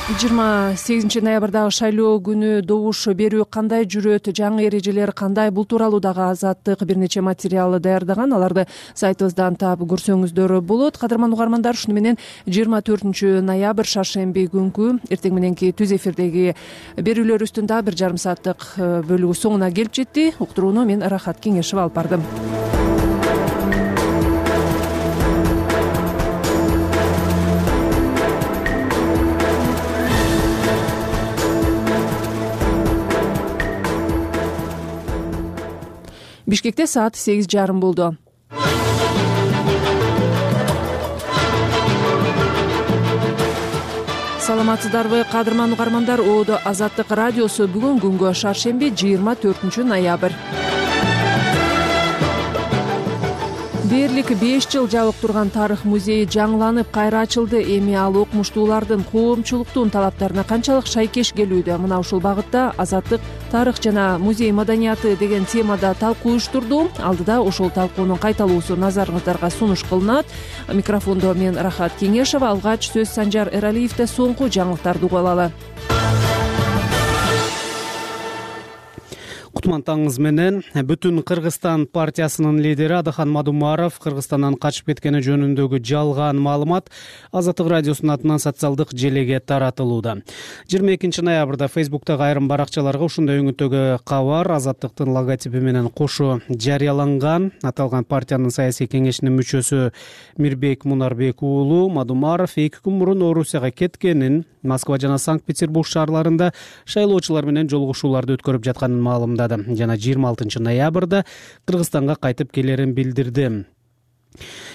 Speaker 1: 28 ноябрдагы шайлоо күнү добуш берүү кандай жүрөт, жаңы эрежелер кандай, бул тууралуу дагы Азаттык бир нече материал даярдаган. Аларды сайтыбыздан таап көрсөңүздөр болот. Кадырман угармандар, ушуну менен 24 ноябрь шаршемби күнкү эртең мененки түз эфирдеги берүүлөрүбүздүн дагы 1,5 сааттык бөлүгү соңуна келип жетти. Уктурууну мен Рахат Кеңешова алып бардым. Бишкекте саат 8:30 болду. Саламатсыздарбы, кадырман угармандар? Оодо Азаттык радиосу бүгүн күнгө шаршемби 24 ноябрь. Дээрлик 5 жыл жабык турган тарых музейи жаңыланып кайра ачылды. Эми ал окумуштуулардын коомчулуктун талаптарына канчалык шайкеш келүүдө? Мына ушул багытта Азаттык тарых жана музей маданияты деген темада талкуу уюштурду. Алдыда ошол талкуунун кайталуусу назарыңыздарга сунуш кылынат. Микрофондо мен Рахат Кеңешова, алгач сөз Санжар Эралиевде. Соңку жаңылыктарды угуп алалы.
Speaker 5: Кутмантаңыз менен. Бүтүн Кыргызстан партиясынын лидери Адыхан Мадумаров Кыргызстандан качып кеткени жөнүндөгү жалган маалымат Азаттык радиосунун атынан социалдык желеге таратылууда. 22 ноябрда Facebook'тагы айрым баракчаларга ушундай өңүттөгү кабар Азаттыктын логотипи менен кошо жарыяланган. Аталган партиянын саясий кеңешинин мүчөсү Мирбек Мунарбек уулу Мадумаров 2 күн мурун Орусияга кеткенин, Москва жана Санкт-Петербург шаарларында шайлоочулар менен жолугушууларды өткөрүп жатканын маалымдады жана 26 ноябрда Кыргызстанга кайтып келерин билдирди.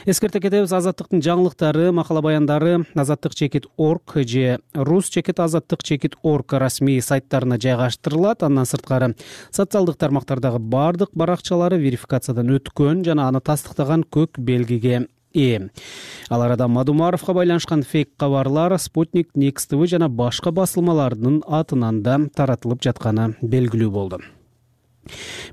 Speaker 5: Эскерте кетебиз, Азаттыктын жаңылыктары, макала баяндары azattik.org же rus.azattik.org расмий сайттарына жайгаштырылат. Андан сырткары социалдык тармактардагы бардык баракчалары верификациядан өткөн жана аны тастыктаган көк белгиге ээ. Ал арада Мадумаровго байланышкан фейк кабарлар Спутник, Next TV жана башка басылмалардын атынан да таратылып жатканы белгилүү болду.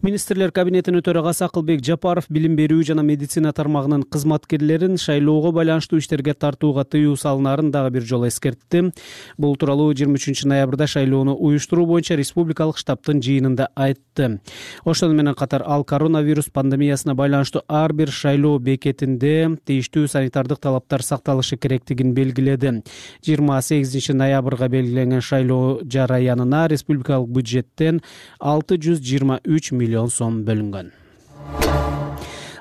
Speaker 5: Министрлер кабинетинин төрагасы Акылбек Жапаров билим берүү жана медицина тармагынын кызматкерлерин шайлоого байланыштуу иштерге тартууга тыюу салынарын дагы бир жолу эскертти. Бул тууралуу 23 ноябрда шайлоону уюштуруу боюнча республикалык штабтын жыйынында айтты. Ошону менен катар ал коронавирус пандемиясына байланыштуу ар бир шайлоо бекетинде тийиштүү санитардык талаптар сакталышы керектигин белгиледи. 28 ноябрга белгиленген шайлоо жараянына республикалык бюджеттен 623 миллион сом бөлүнгөн.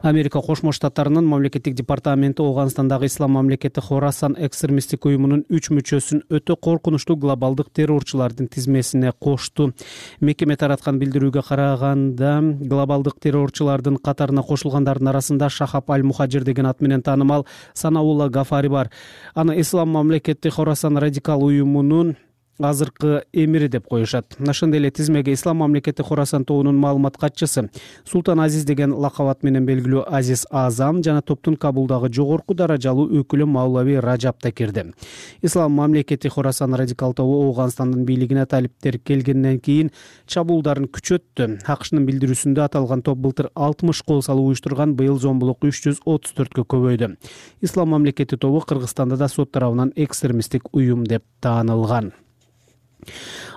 Speaker 5: Америка Кошмо Штаттарынын мамлекеттик департаменти Ооганстандагы ислам мамлекети Хорасан экстремисттик уюмунун 3 мүчөсүн өтө коркунучтуу глобалдык террорчулардын тизмесине кошту. Мекеме тараткан билдирүүгө караганда, глобалдык террорчулардын катарына кошулгандардын арасында Шахаб Аль-Мухажир деген ат менен таанымал Санаулла Гафари бар. Аны ислам мамлекети Хорасан радикал уюмунун азыркы эмири деп коюшат. Ошондой эле тизмеге ислам мамлекети Хорасан тобунун маалымат катчысы Султан Азиз деген лакабат менен белгилүү Азиз Азам жана топтун Кабулдагы жогорку даражалуу өкүлү Маулави Раджаб да кирди. Ислам мамлекети Хорасан радикал тобу Ооганстандын бийлигине талиптер келгенден кийин чабуулдарын күчөттү. АКШнын билдирүүсүндө аталган топ былтыр 60 кол салуу уюштурган, быйыл зомбулук 334кө көбөйдү. Ислам мамлекети тобу Кыргызстанда да сот тарабынан экстремисттик уюм деп таанылган.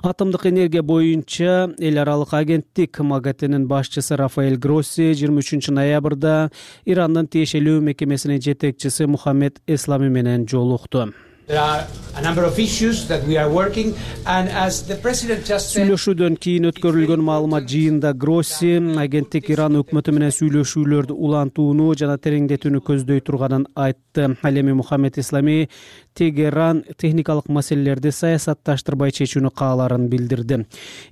Speaker 5: Атомдук энергия боюнча эл аралык агенттик МАГАТЭнин башчысы Рафаэль Гросси 23 ноябрда Ирандын тиешелүү мекемесинин жетекчиси Мухаммед Эслами менен жолукту. Сүйлөшүүдөн кийин өткөрүлгөн маалымат жыйынында Гросси агенттик Иран өкмөтү менен сүйлөшүүлөрдү улантууну жана тереңдетүүнү көздөй турганын айтты. Ал эми Мухаммед Эслами Тегеран техникалык маселелерди саясатташтырбай чечүүнү кааларын билдирди.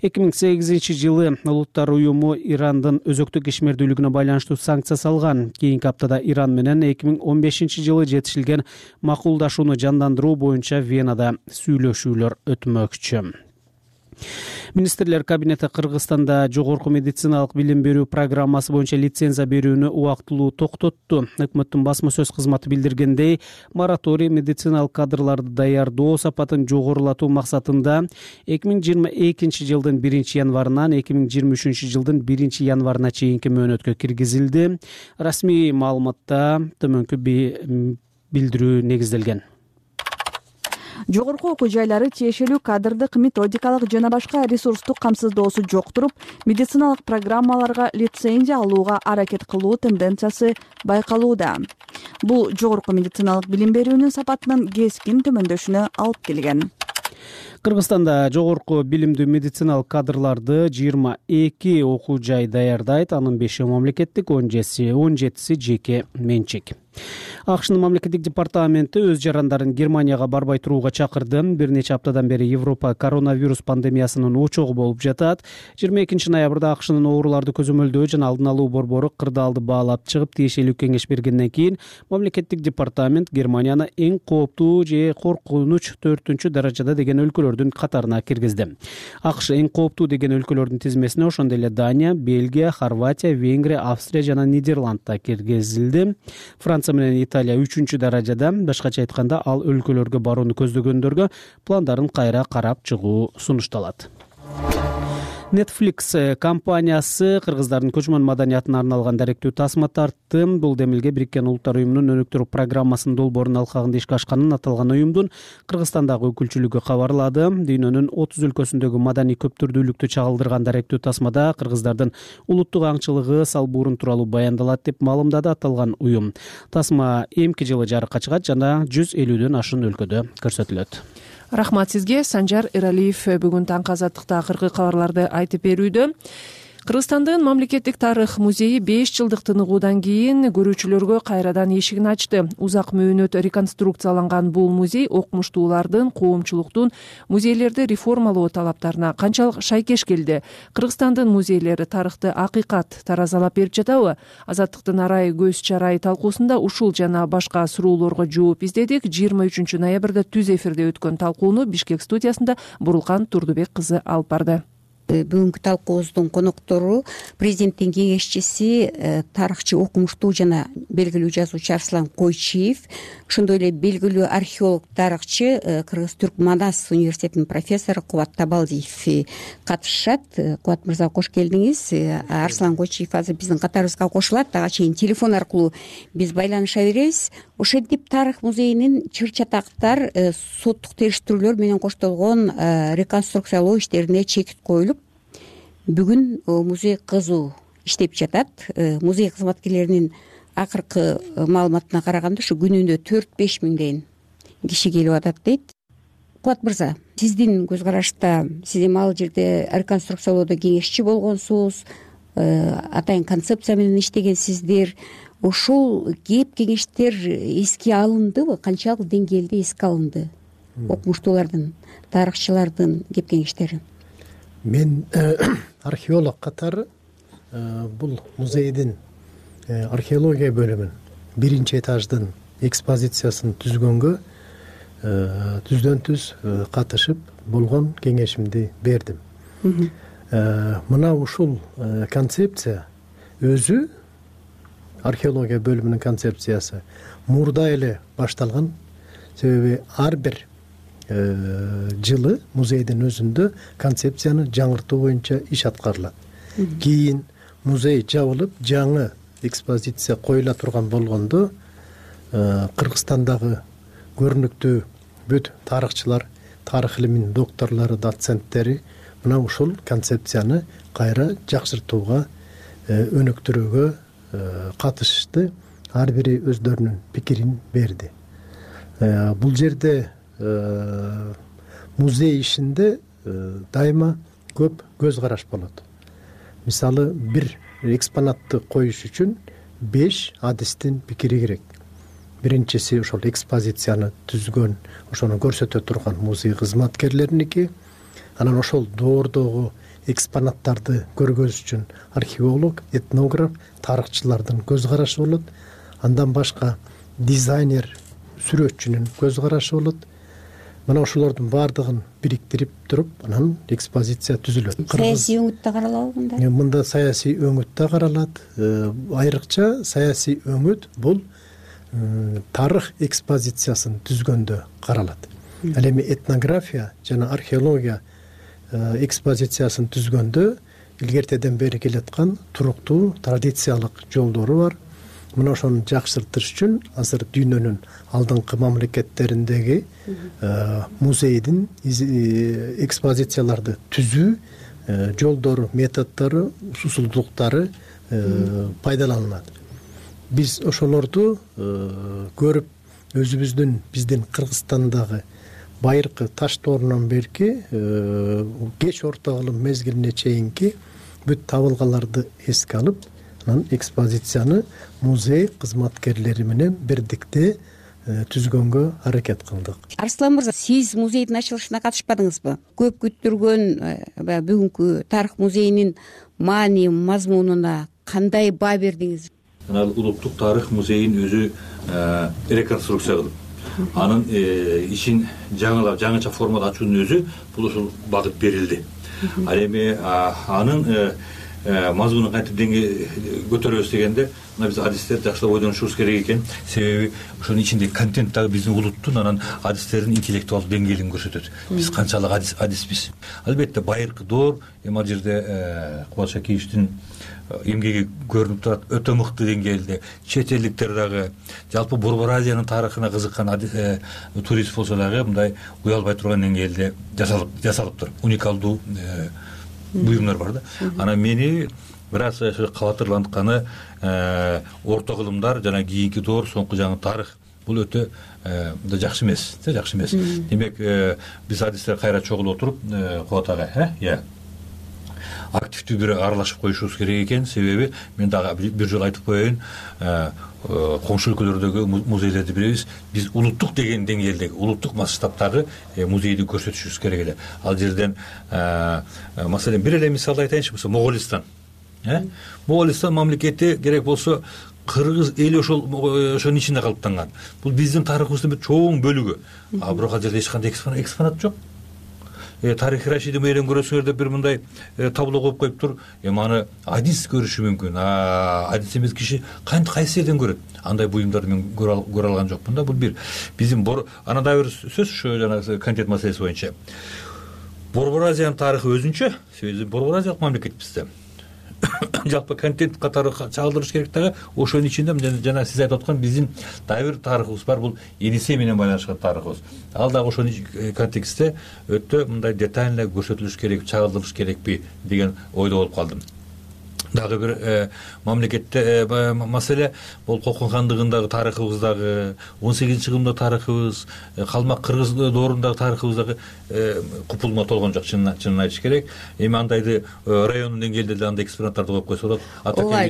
Speaker 5: 2008 жылы Улуттар уюму Ирандын өзөктүк ишмердүүлүгүнө байланыштуу санкция салган. Кийинки аптада Иран менен 2015 жылы жетишилген макулдашууну жандандыруу боюнча Венада сүйлөшүүлөр өтмөкчү. Министрлер кабинети Кыргызстанда жогорку медициналык билим берүү программасы боюнча лицензия берүүнү убактылуу токтотту. Өкмөттүн басма сөз кызматы билдиргендей, мораторий медициналык кадрларды даярдоо сапатын жогорулатуу максатында 2022 жылдын 1 январынан 2023 жылдын 1 январына чейинки мөөнөткө киргизилди. Расмий маалыматта төмөнкү билдирүү негизделген.
Speaker 18: Жогорку окуу жайлары тиешелүү кадрдык, методикалык жана башка ресурстук камсыздоосу жок туруп, медициналык программаларга лицензия алууга аракет кылуу тенденциясы байкалууда. Бул жогорку медициналык билим берүүнүн сапатынын кескин төмөндөшүнө алып келген.
Speaker 5: Кыргызстанда жогорку билимдүү медициналык кадрларды 22 окуу жай даярдайт. Анын 5-и мамлекеттик, 17-си жеке менчик. АКШнын мамлекеттик департаменти өз жарандарын Германияга барбай турууга чакырды. Бир нече аптадан бери Европа коронавирус пандемиясынын очогу болуп жатат. 22 ноябрда АКШнын ооруларды көзөмөлдөө жана алдын алуу борбору кырдаалды баалап чыгып, тиешелүү кеңеш бергенден кийин мамлекеттик департамент Германияны эң кооптуу же коркунуч 4-даражада деген өлкөлөрдүн катарына киргизди. АКШ эң кооптуу деген өлкөлөрдүн тизмесине ошондой эле Дания, Бельгия, Хорватия, Венгрия, Австрия жана Нидерландда киргизилди. Франция менен Италия 3-даражада. Башкача айтканда, ал өлкөлөргө барууну көздөгөндөргө пландарын кайра карап чыгуу сунушталат. Netflix компаниясы кыргыздардын көчмөн маданиятына арналган даректүү тасма тартты. Бул демилге Бириккен Улуттар уюмунун өнүктүрүү программасынын долбоорунун алкагында ишке ашканын аталган уюмдун Кыргызстандагы өкүлчүлүгү кабарлады. Дүйнөнүн 30 өлкөсүндөгү маданий көптүрдүүлүктү чагылдырган даректүү тасмада кыргыздардын улуттук аңчылыгы, салбуурун тууралуу баяндалат деп маалымдады аталган уюм. Тасма эмки жылы жарыкка чыгат жана 150дөн ашуун өлкөдө көрсөтүлөт.
Speaker 1: Рахмат сизге. Санжар Эралиев бүгүн таңкы азаттыкта акыркы кабарларды айтып берүүдө. Кыргызстандын мамлекеттик тарых музейи 5 жылдык тыныгуудан кийин көрүүчүлөргө кайрадан эшигин ачты. Узак мөөнөт реконструкцияланган бул музей окумуштуулардын, коомчулуктун музейлерди реформалоо талаптарына канчалык шайкеш келди? Кыргызстандын музейлери тарыхты акыйкат таразалап берип жатабы? Азаттыктын арай көз чарай талкуусунда ушул жана башка суроолорго жооп издедик. 23 ноябрда түз эфирде өткөн талкууну Бишкек студиясында Бурулкан Турдубек кызы алып барды.
Speaker 19: Бүгүнкү талкуубуздун коноктору президенттин кеңешчиси, тарыхчы, окумуштуу жана белгилүү жазуучу Арслан Койчиев, ошондой эле белгилүү археолог, тарыхчы, Кыргыз-Түрк Манас университетинин профессору Кубат Табалдиев катышышат. Кубат мырза, кош келдиңиз. Арслан Койчиев азыр биздин катарыбызга кошулат. Ага чейин телефон аркылуу биз байланыша беребиз. Ошентип тарых музейинин чыр-чатактар, соттук териштирүүлөр менен коштолгон реконструкциялоо иштерине чек коюлуп, бүгүн музей кызуу иштеп жатат. Музей кызматкерлеринин акыркы маалыматына караганда, ушу күнүнө 4-5 миңден киши келип атат дейт. Кубат мырза, сиздин көз карашта, сиз эми ал жерде реконструкциялоодо кеңешчи болгонсуз, атайын концепция менен иштегенсиздер. Ошол кеп кеңештер эске алындыбы? Канчалык деңгээлде эске алынды окумуштуулардын, тарыхчылардын кеп кеңештери?
Speaker 20: Мен археолог катары бул музейдин археология бөлүмүн 1-этаждын экспозициясын түзгөнгө түздөн-түз катышып болгон кеңешимди бердим. Мына ушул концепция өзү, археология бөлүмүнүн концепциясы мурда эле башталган. Себеби ар бир жылы музейдин өзүндө концепцияны жаңыртуу боюнча иш аткарылат. Кийин музей жабылып, жаңы экспозиция коюла турган болгондо Кыргызстандагы көрүнүктүү бүт тарыхчылар, тарых илиминин докторлору, доценттери мына ушул концепцияны кайра жакшыртууга, өнүктүрүүгө катышты. Ар бири өздөрүнүн пикирин берди. Бул жерде музей ишинде дайыма көп көз караш болот. Мисалы, бир экспонатты коюш үчүн 5 адистин пикири керек. Биринчиси ошол экспозицияны түзгөн, ошону көрсөтө турган музей кызматкерлериники. Анан ошол доордогу экспонаттарды көргөзүш үчүн археолог, этнограф, тарыхчылардын көз карашы болот. Андан башка дизайнер, сүрөтчүнүн көз карашы болот. Мына ошолордун баардыгын бириктирип туруп, анан экспозиция түзүлөт.
Speaker 19: Саясий өңүт да каралабы мында?
Speaker 20: Мында саясий өңүт да каралат. Айрыкча саясий өңүт бул тарых экспозициясын түзгөндө каралат. Ал эми этнография жана археология экспозициясын түзгөндө илгертеден бери келаткан туруктуу традициялык жолдору бар. мына ошону жакшыртыш үчүн азыр дүйнөнүн алдыңкы мамлекеттериндеги музейдин экспозицияларды түзүү жолдору, методдору, усулдуктары пайдаланылат. Биз ошолорду көрүп биздин Кыргызстандагы байыркы таш доорунан берки кеч орто кылым мезгилине чейинки бүт табылгаларды эске алып, анан экспозицияны музей кызматкерлери менен бирдикте түзгөнгө аракет кылдык.
Speaker 19: Арслан мырза, сиз музейдин ачылышына катышпадыңызбы? Көп күттүргөн бүгүнкү тарых музейинин маани, мазмунуна кандай баа бердиңиз?
Speaker 21: Улуттук тарых музейин өзү реконструкция кылып, анын ишин жаңыча формада ачуунун өзү бул ушул багыт берилди. Ал эми анын мазмунун кантип көтөрөбүз дегенде, мына биз адистер жакшылап ойдонушубуз керек экен. Себеби ошонун ичиндеги контент дагы биздин улуттун анан адистердин интеллектуалдык деңгээлин көрсөтөт. Биз канчалык адиспиз. Албетте байыркы доор, эми ал жерде Кубат Шакиевичтин эмгеги көрүнүп турат, өтө мыкты деңгээлде. Чет элдиктер дагы, жалпы Борбор Азиянын тарыхына кызыккан турист болсо дагы мындай уялбай турган деңгээлде жасалыптыр. Уникалдуу буюмдар бар да. Анан мени бир аз кабатырлантканы орто кылымдар жана кийинки доор, соңку жаңы тарых бул өтө жакшы эмес, жакшы эмес. Демек биз адистер кайра чогулуп отуруп, Кубат ага, активдүү бир аралашып коюшубуз керек экен. Себеби мен дагы бир жолу айтып коеюн, коңшу өлкөлөрдөгү музейлерди билебиз. Биз улуттук деген деңгээлдеги, улуттук масштабтагы музейди көрсөтүшүбүз керек эле. Ал жерден маселен бир эле мисалды айтайынчы, Моголистан. Моголистан мамлекети керек болсо кыргыз эли ошонун ичинде калыптанган. Бул биздин тарыхыбыздын бир чоң бөлүгү. А бирок ал жерде эч кандай экспонат жок. Тарих Рашиди мээрен көрөсүңөр деп бир мындай табло коюп коюптур. Аны адис көрүшү мүмкүн. Адис эмес киши кайсы жерден көрөт? Андай буюмдарды мен көрө алган жокмун да. Бул бир биздин анан дагы бир сөз ушу жанагы контент маселеси боюнча. Борбор Азиянын тарыхы өзүнчө, себеби Борбор Азиялык мамлекет бизде. Жалпы контент катары чагылдырыш керек дагы. Ошонун ичинде жана сиз айтып аткан биздин дагы бир тарыхыбыз бар, бул Енисей менен байланышкан тарыхыбыз. Ал дагы ошонун контекстте өтө мындай детально көрсөтүлүш керек, чагылдырыш керекпи деген ойдо болуп калдым. Дагы бир мамлекетте маселе бул Кокон хандыгындагы тарыхыбыздагы, 18-кылымда тарыхыбыз, калмак кыргыз доорундагы тарыхыбыздагы купулма толгон жок, чынын айтыш керек. Эми андайды райондун деңгээлде деле андай экспонаттарды коюп койсо болот.
Speaker 19: Ооба,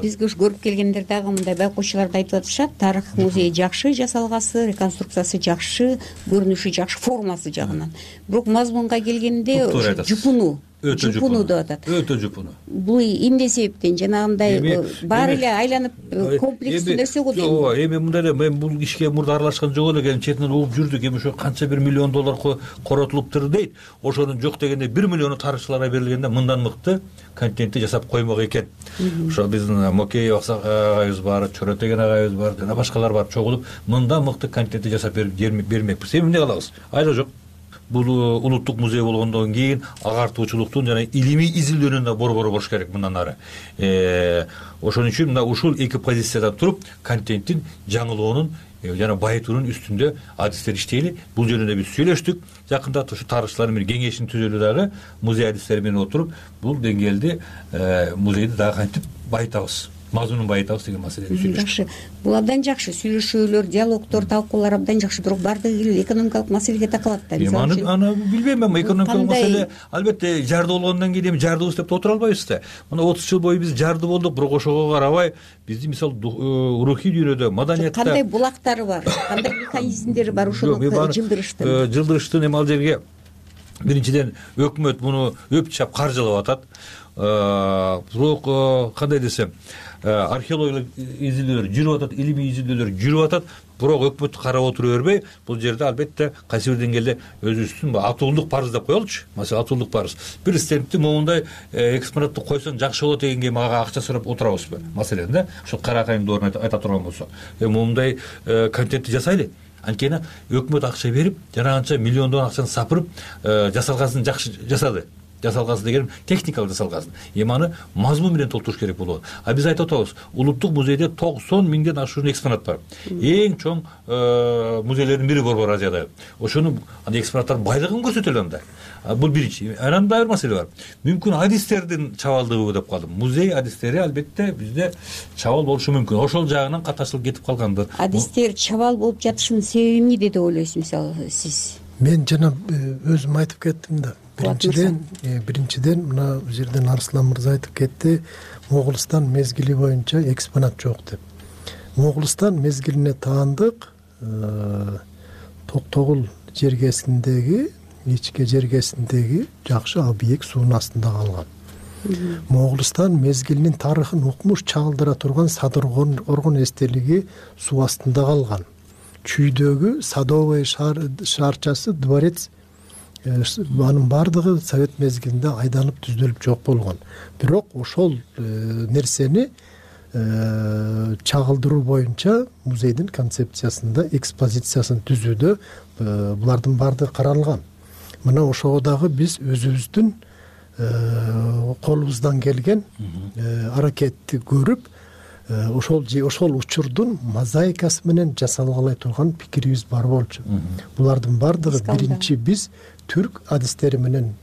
Speaker 19: бизге ушу көрүп келгендер дагы мындай байкоочулар да айтып атышат, тарых музеи жакшы жасалгасы, реконструкциясы жакшы, көрүнүшү жакшы, формасы жагынан. Бирок мазмунга келгенде жупуну деп атат.
Speaker 21: Өтө жупуну.
Speaker 19: Бул эмне себептен жанагындай баары эле айланып комплекстүү нерсе го дейм.
Speaker 21: Ооба, эми мындай эле мен бул ишке мурда аралашкан жок эле, эми четинен угуп жүрдүк. Эми ошо канча бир миллион доллар коротулуптур дейт. Ошонун жок дегенде 1 миллиону тарыхчыларга берилгенде мындан мыкты контентти жасап коймок экен. Ошо биздин Мокеев агайыбыз бар, Чоротеген агайыбыз бар, жана башкалар бар чогулуп мындан мыкты контентти жасап бермекпиз. Эми эмне кылабыз? Айла жок. Бул улуттук музей болгондон кийин агартуучулуктун жана илимий изилдөөнүн да борбору болуш керек мындан ары. Ошон үчүн мына ушул эки позициядан туруп контенттин жаңылоонун жана байытуунун үстүндө адистер иштейли. Бул жөнүндө биз сүйлөштүк. Жакында ушу тарыхчылар менен кеңешин түзөлү дагы музей адистери менен отуруп бул деңгээлде музейди дагы кантип байытабыз, мазмунун байытабыз деген маселени сүйлөштүк.
Speaker 19: Жакшы. Бул абдан жакшы. Сүйлөшүүлөр, диалогдор, талкуулар абдан жакшы. Бирок баардыгы экономикалык маселеге такалат да.
Speaker 21: Аны билбейм мен, экономикалык маселе албетте жарды болгондон кийин эми жардыбыз деп отура албайбыз да. Мына 30 жыл бою биз жарды болдук, бирок ошого карабай биздин мисалы рухий дүйнөдө, маданиятта
Speaker 19: кандай булактары бар, кандай механизмдери бар ушуну жылдырыштын.
Speaker 21: Жылдырыштын эми ал жерге биринчиден өкмөт муну өп-чап каржылап атат. Бирок кандай десем, археологиялык изилдөөлөр жүрүп атат, илимий изилдөөлөр жүрүп атат, бирок өкмөт карап отура бербей, бул жерде албетте кайсы бир деңгээлде өзүбүздүн атуулдук парыз деп коелучу. Маселен, атуулдук парыз. Бир стендти моундай экспонатты койсоң жакшы болот дегенге мага акча сурап отурабызбы? Маселен да, ошо каракайын доорун айта турган болсо, моундай контентти жасайлы. Анткени өкмөт акча берип, жана анча миллиондон акчаны сапырып, жасалгасын жакшы жасады. жасалгансын деген техникалык жасалгансын. Эми аны мазмун менен толтуруш керек болот. А биз айтып атабыз, улуттук музейде 90 миңден ашуун экспонат бар. Эң чоң музейлердин бири Борбор Азияда. Ошонун экспонаттардын байлыгын көрсөтөлү анда. Бул биринчи. Анан дагы бир маселе бар. Мүмкүн адистердин чабалдыгыбы деп калдым. Музей адистери албетте бизде чабал болушу мүмкүн. Ошол жагынан каташылып кетип калгандыр.
Speaker 19: Адистер чабал болуп жатышынын себеби эмне деп ойлойсуз, мисалы сиз?
Speaker 20: Мен жана өзүм айтып кеттим да. Биринчиден мына бул жерден Арслан мырза айтып кетти, Моголстан мезгили боюнча экспонат жок деп. Моголстан мезгилине таандык Токтогул жергесиндеги, ичке жергесиндеги жакшы объект суунун астында калган. Моголстан мезгилинин тарыхын укмуш чагылдыра турган Садыргоргон эстелиги суу астында калган. Чүйдөгү Садовый шаарчасы, дворец, анын баардыгы Совет мезгилинде айдалып түздөлүп жок болгон. Бирок ошол нерсени чагылдыруу боюнча музейдин концепциясында, экспозициясын түзүүдө булардын баардыгы каралган. Мына ошого дагы биз өзүбүздүн колубуздан келген аракетти көрүп, ошол учурдун мозаикасы менен жасалгалы турган пикирибиз бар болчу. Булардын баардыгы биринчи биз түрк адистери менен,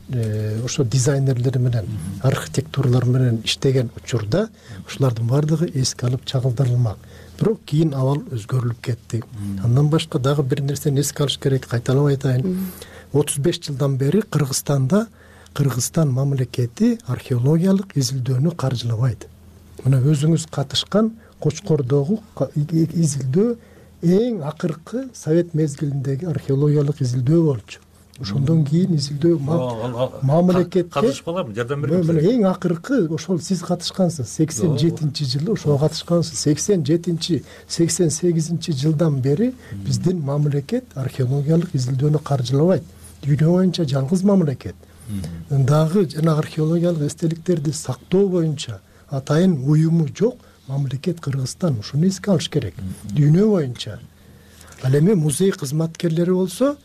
Speaker 20: ошо дизайнерлери менен, архитектуралар менен иштеген учурда ошолордун баардыгы эске алып чагылдырылмак. Бирок кийин абал өзгөрүлүп кетти. Андан башка дагы бир нерсени эске алыш керек, кайталап айтайын. 35 жылдан бери Кыргызстанда Кыргызстан мамлекети археологиялык изилдөөнү каржылабайт. Мына өзүңүз катышкан Кочкордогу изилдөө эң акыркы Совет мезгилиндеги археологиялык изилдөө болчу. Ошондон кийин изилдөө мамлекетке
Speaker 21: катышпаларбы, жардам бербейсиз?
Speaker 20: Мына эң акыркы ошол сиз катышкансыз. 87-жылы ошого катышкансыз. 87-88 жылдан бери биздин мамлекет археологиялык изилдөөнү каржылабайт. Дүйнө боюнча жалгыз мамлекет. Дагы жана археологиялык эстеликтерди сактоо боюнча атайын уюму жок мамлекет Кыргызстан. Ушуну эске алыш керек. Дүйнө боюнча. Ал эми музей кызматкерлери болсо,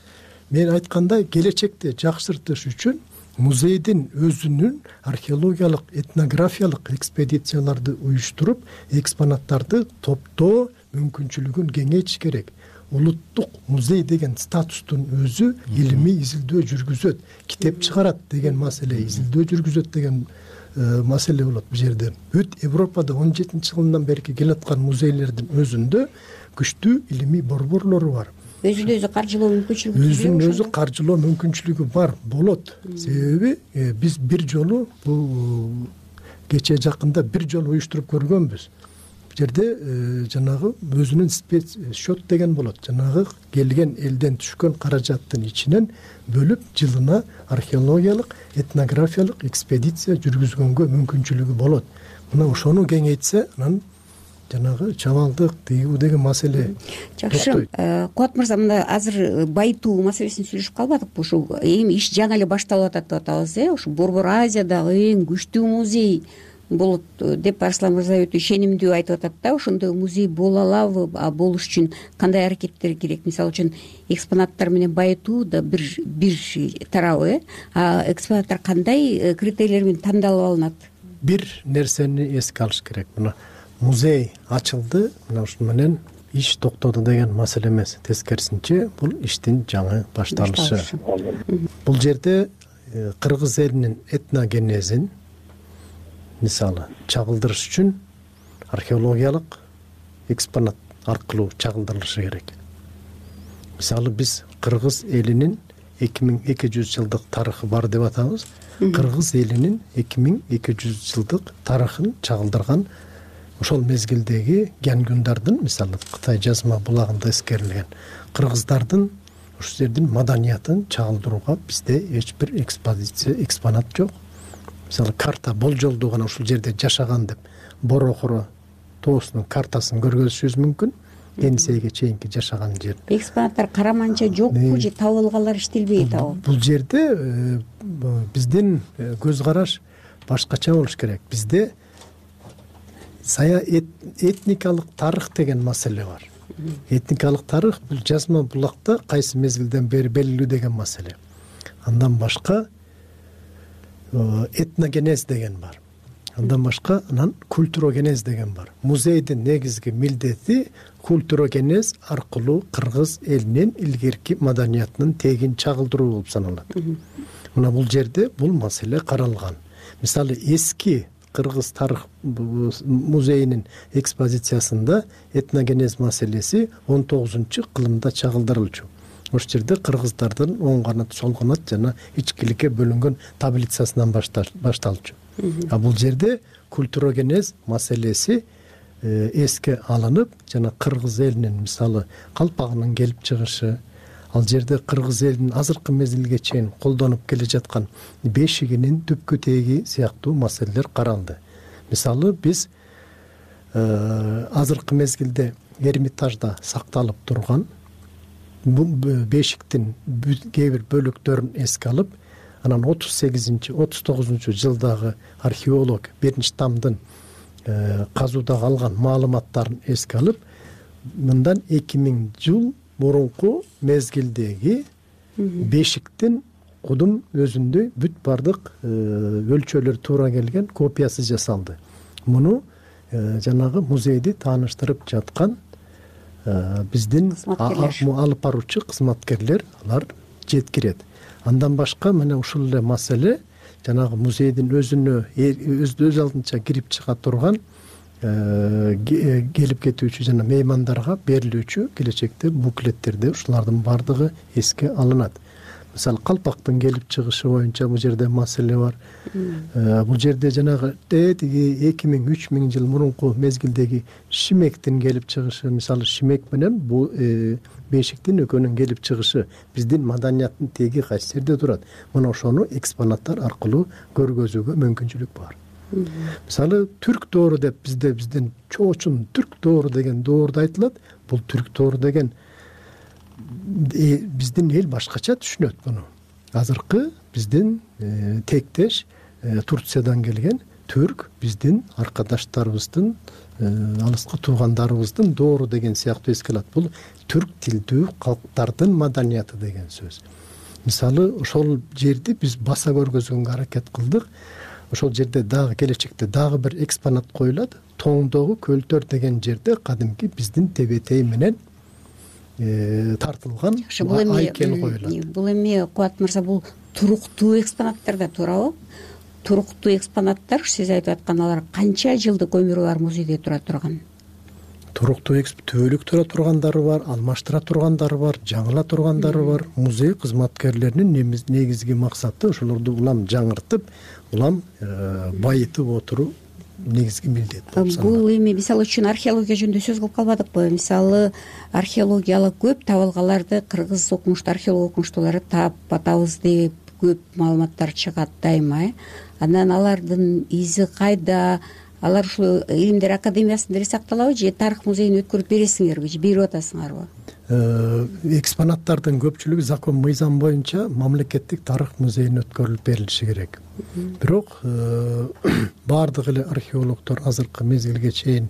Speaker 20: мен айткандай келечекте жакшыртыш үчүн музейдин өзүнүн археологиялык, этнографиялык экспедицияларды уюштуруп, экспонаттарды топтоо мүмкүнчүлүгүн кеңейтиш керек. Улуттук музей деген статустун өзү илимий изилдөө жүргүзөт, китеп чыгарат деген маселе, изилдөө жүргүзөт деген маселе болот бул жерде. Бүт Европада 17-жылдан бери келаткан музейлердин өзүндө күчтүү илимий борборлору бар.
Speaker 19: Өзүн өзү каржылоо мүмкүнчүлүгү
Speaker 20: өзүн өзү каржылоо мүмкүнчүлүгү бар болот. Себеби биз бир жолу бул кече жакында бир жолу уюштуруп көргөнбүз. Бул жерде жанагы өзүнүн счет деген болот. Жанагы келген элден түшкөн каражаттын ичинен бөлүп жылына археологиялык, этнографиялык экспедиция жүргүзгөнгө мүмкүнчүлүгү болот. Мына ошону кеңейтсе, анан жанагы чабалдык, тыюу деген маселе.
Speaker 19: Жакшы. Кубат мырза, мына азыр байытуу маселесин сүйлөшүп калбадыкпы? Ушу эми иш жаңы эле башталып атат деп атабыз, Ушу Борбор Азиядагы эң күчтүү музей болот деп Арслан мырза өтө ишенимдүү айтып атат да. Ошондой музей боло алабы? Болуш үчүн кандай аракеттер керек? Мисалы үчүн экспонаттар менен байытуу да бир тарабы, экспонаттар кандай критерийлер менен тандалып алынат?
Speaker 20: Бир нерсени эске алыш керек. Мына музей ачылды, мына ушун менен иш токтоду деген маселе эмес. Тескерисинче, бул иштин жаңы башталышы. Бул жерде кыргыз элинин этногенезин мисалы чагылдырыш үчүн археологиялык экспонат аркылуу чагылдырылышы керек. Мисалы биз кыргыз элинин 2200 жылдык тарыхы бар деп атабыз. Кыргыз элинин 2200 жылдык тарыхын чагылдырган ошол мезгилдеги Гянгундардын, мисалы Кытай жазма булагында эскерилген кыргыздардын ошол жердин маданиятын чагылдырууга бизде эч бир экспонат жок. Мисалы карта болжолдуу гана ушул жерде жашаган деп Борохоро тоосунун картасын көргөзүшүбүз мүмкүн. Енисейге чейинки жашаган жер.
Speaker 19: Экспонаттар караманча жокпу же табылгалар иштелбейт абы?
Speaker 20: Бул жерде биздин көз караш башкача болуш керек. Бизде этникалык тарых деген маселе бар. Этникалык тарых бул жазма булакта кайсы мезгилден бери белгилүү деген маселе. Андан башка этногенез деген бар. Андан башка анан культурогенез деген бар. Музейдин негизги милдети культурогенез аркылуу кыргыз элинин илгерки маданиятынын тегин чагылдыруу болуп саналат. Мына бул жерде бул маселе каралган. Мисалы эски кыргыз тарых музейинин экспозициясында этногенез маселеси 19-кылымда чагылдырылчу. Ошол жерде кыргыздардын оң канат, сол канат жана ичкиликке бөлүнгөн таблицасынан башталчу. А бул жерде культурогенез маселеси эске алынып, жана кыргыз элинин мисалы калпагынын келип чыгышы, ал жерде кыргыз элинин азыркы мезгилге чейин колдонуп келе жаткан бешигинин түпкү теги сыяктуу маселелер каралды. Мисалы биз азыркы мезгилде Эрмитажда сакталып турган бул бешиктин кээ бир бөлүктөрүн эске алып, анан 38-39 жылдагы археолог 1-тамдын казуудагы алган маалыматтарын эске алып, мындан 2000 жыл мурунку мезгилдеги бешиктин кудум өзүндө бүт бардык өлчөлөр туура келген копиясы жасалды. Муну жанагы музейди тааныштырып жаткан биздин алып баруучу кызматкерлер алар жеткирет. Андан башка мына ушул эле маселе жанагы музейдин өз алдынча кирип чыга турган келип кетүүчү жана меймандарга берилүүчү келечекте буклеттерде ушулардын бардыгы эске алынат. Мисалы калпактын келип чыгышы боюнча бул жерде маселе бар. Бул жерде жанагы 2000-3000 жыл мурунку мезгилдеги шимектин келип чыгышы, мисалы шимек менен бул бешиктин экөөнүн келип чыгышы биздин маданияттын теги кайсы жерде турат. Мына ошону экспонаттар аркылуу көргөзүүгө мүмкүнчүлүк бар. Мисалы түрк доору деп биздин чоочун түрк доору деген доорду айтылат. Бул түрк доору деген биздин эл башкача түшүнөт муну. Азыркы биздин тектеш Турциядан келген түрк биздин аркадаштарыбыздын, алыскы туугандарыбыздын доору деген сыяктуу эске алат. Бул түрк тилдүү калктардын маданияты деген сөз. Мисалы ошол жерди биз баса көргөзгөнгө аракет кылдык. Ошол жерде дагы келечекте дагы бир экспонат коюлат. Тоңдогу көлтөр деген жерде кадимки биздин тебетей менен тартылган айкел коюлат.
Speaker 19: Бул эми Кубат мырза, бул туруктуу экспонаттар да туурабы? Туруктуу экспонаттар, сиз айтып аткан, алар канча жылдык өмүрү бар музейде тура турган?
Speaker 20: Туруктуу түбөлүк тура тургандары бар, алмаштыра тургандары бар, жаңыла тургандары бар. Музей кызматкерлеринин негизги максаты ошолорду улам жаңыртып, улам байытып отуруу негизги милдет болуп саналат.
Speaker 19: Бул эми мисалы үчүн археология жөнүндө сөз кылып калбадыкпы? Мисалы археологиялык көп табылгаларды кыргыз окумуштуу археолог окумуштуулары таап атабыз деп көп маалыматтар чыгат дайыма. Анан алардын изи кайда? Алар ушул Илимдер академиясында эле сакталабы же тарых музейине өткөрүп бересиңерби же берип атасыңарбы?
Speaker 20: Экспонаттардын көпчүлүгү закон мыйзам боюнча мамлекеттик тарых музейине өткөрүлүп берилиши керек. Бирок баардык эле археологдор азыркы мезгилге чейин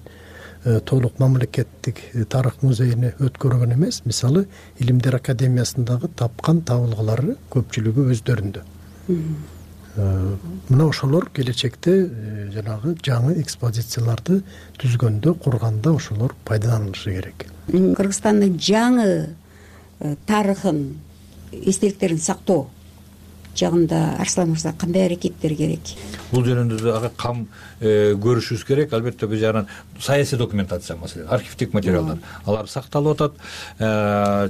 Speaker 20: толук мамлекеттик тарых музейине өткөргөн эмес. Мисалы Илимдер академиясындагы тапкан табылгалары көпчүлүгү өздөрүндө. Мына ошолор келечекте жанагы жаңы экспозицияларды түзгөндө, курганда ошолор пайдаланылышы керек.
Speaker 19: Кыргызстандын жаңы тарыхын, эстеликтерин сактоо жагында Арслан мырза кандай аракеттер керек?
Speaker 21: Бул жөнүндө ага кам көрүшүбүз керек. Албетте бул жагынан саясий документация маселе, архивдик материалдар, алар сакталып атат.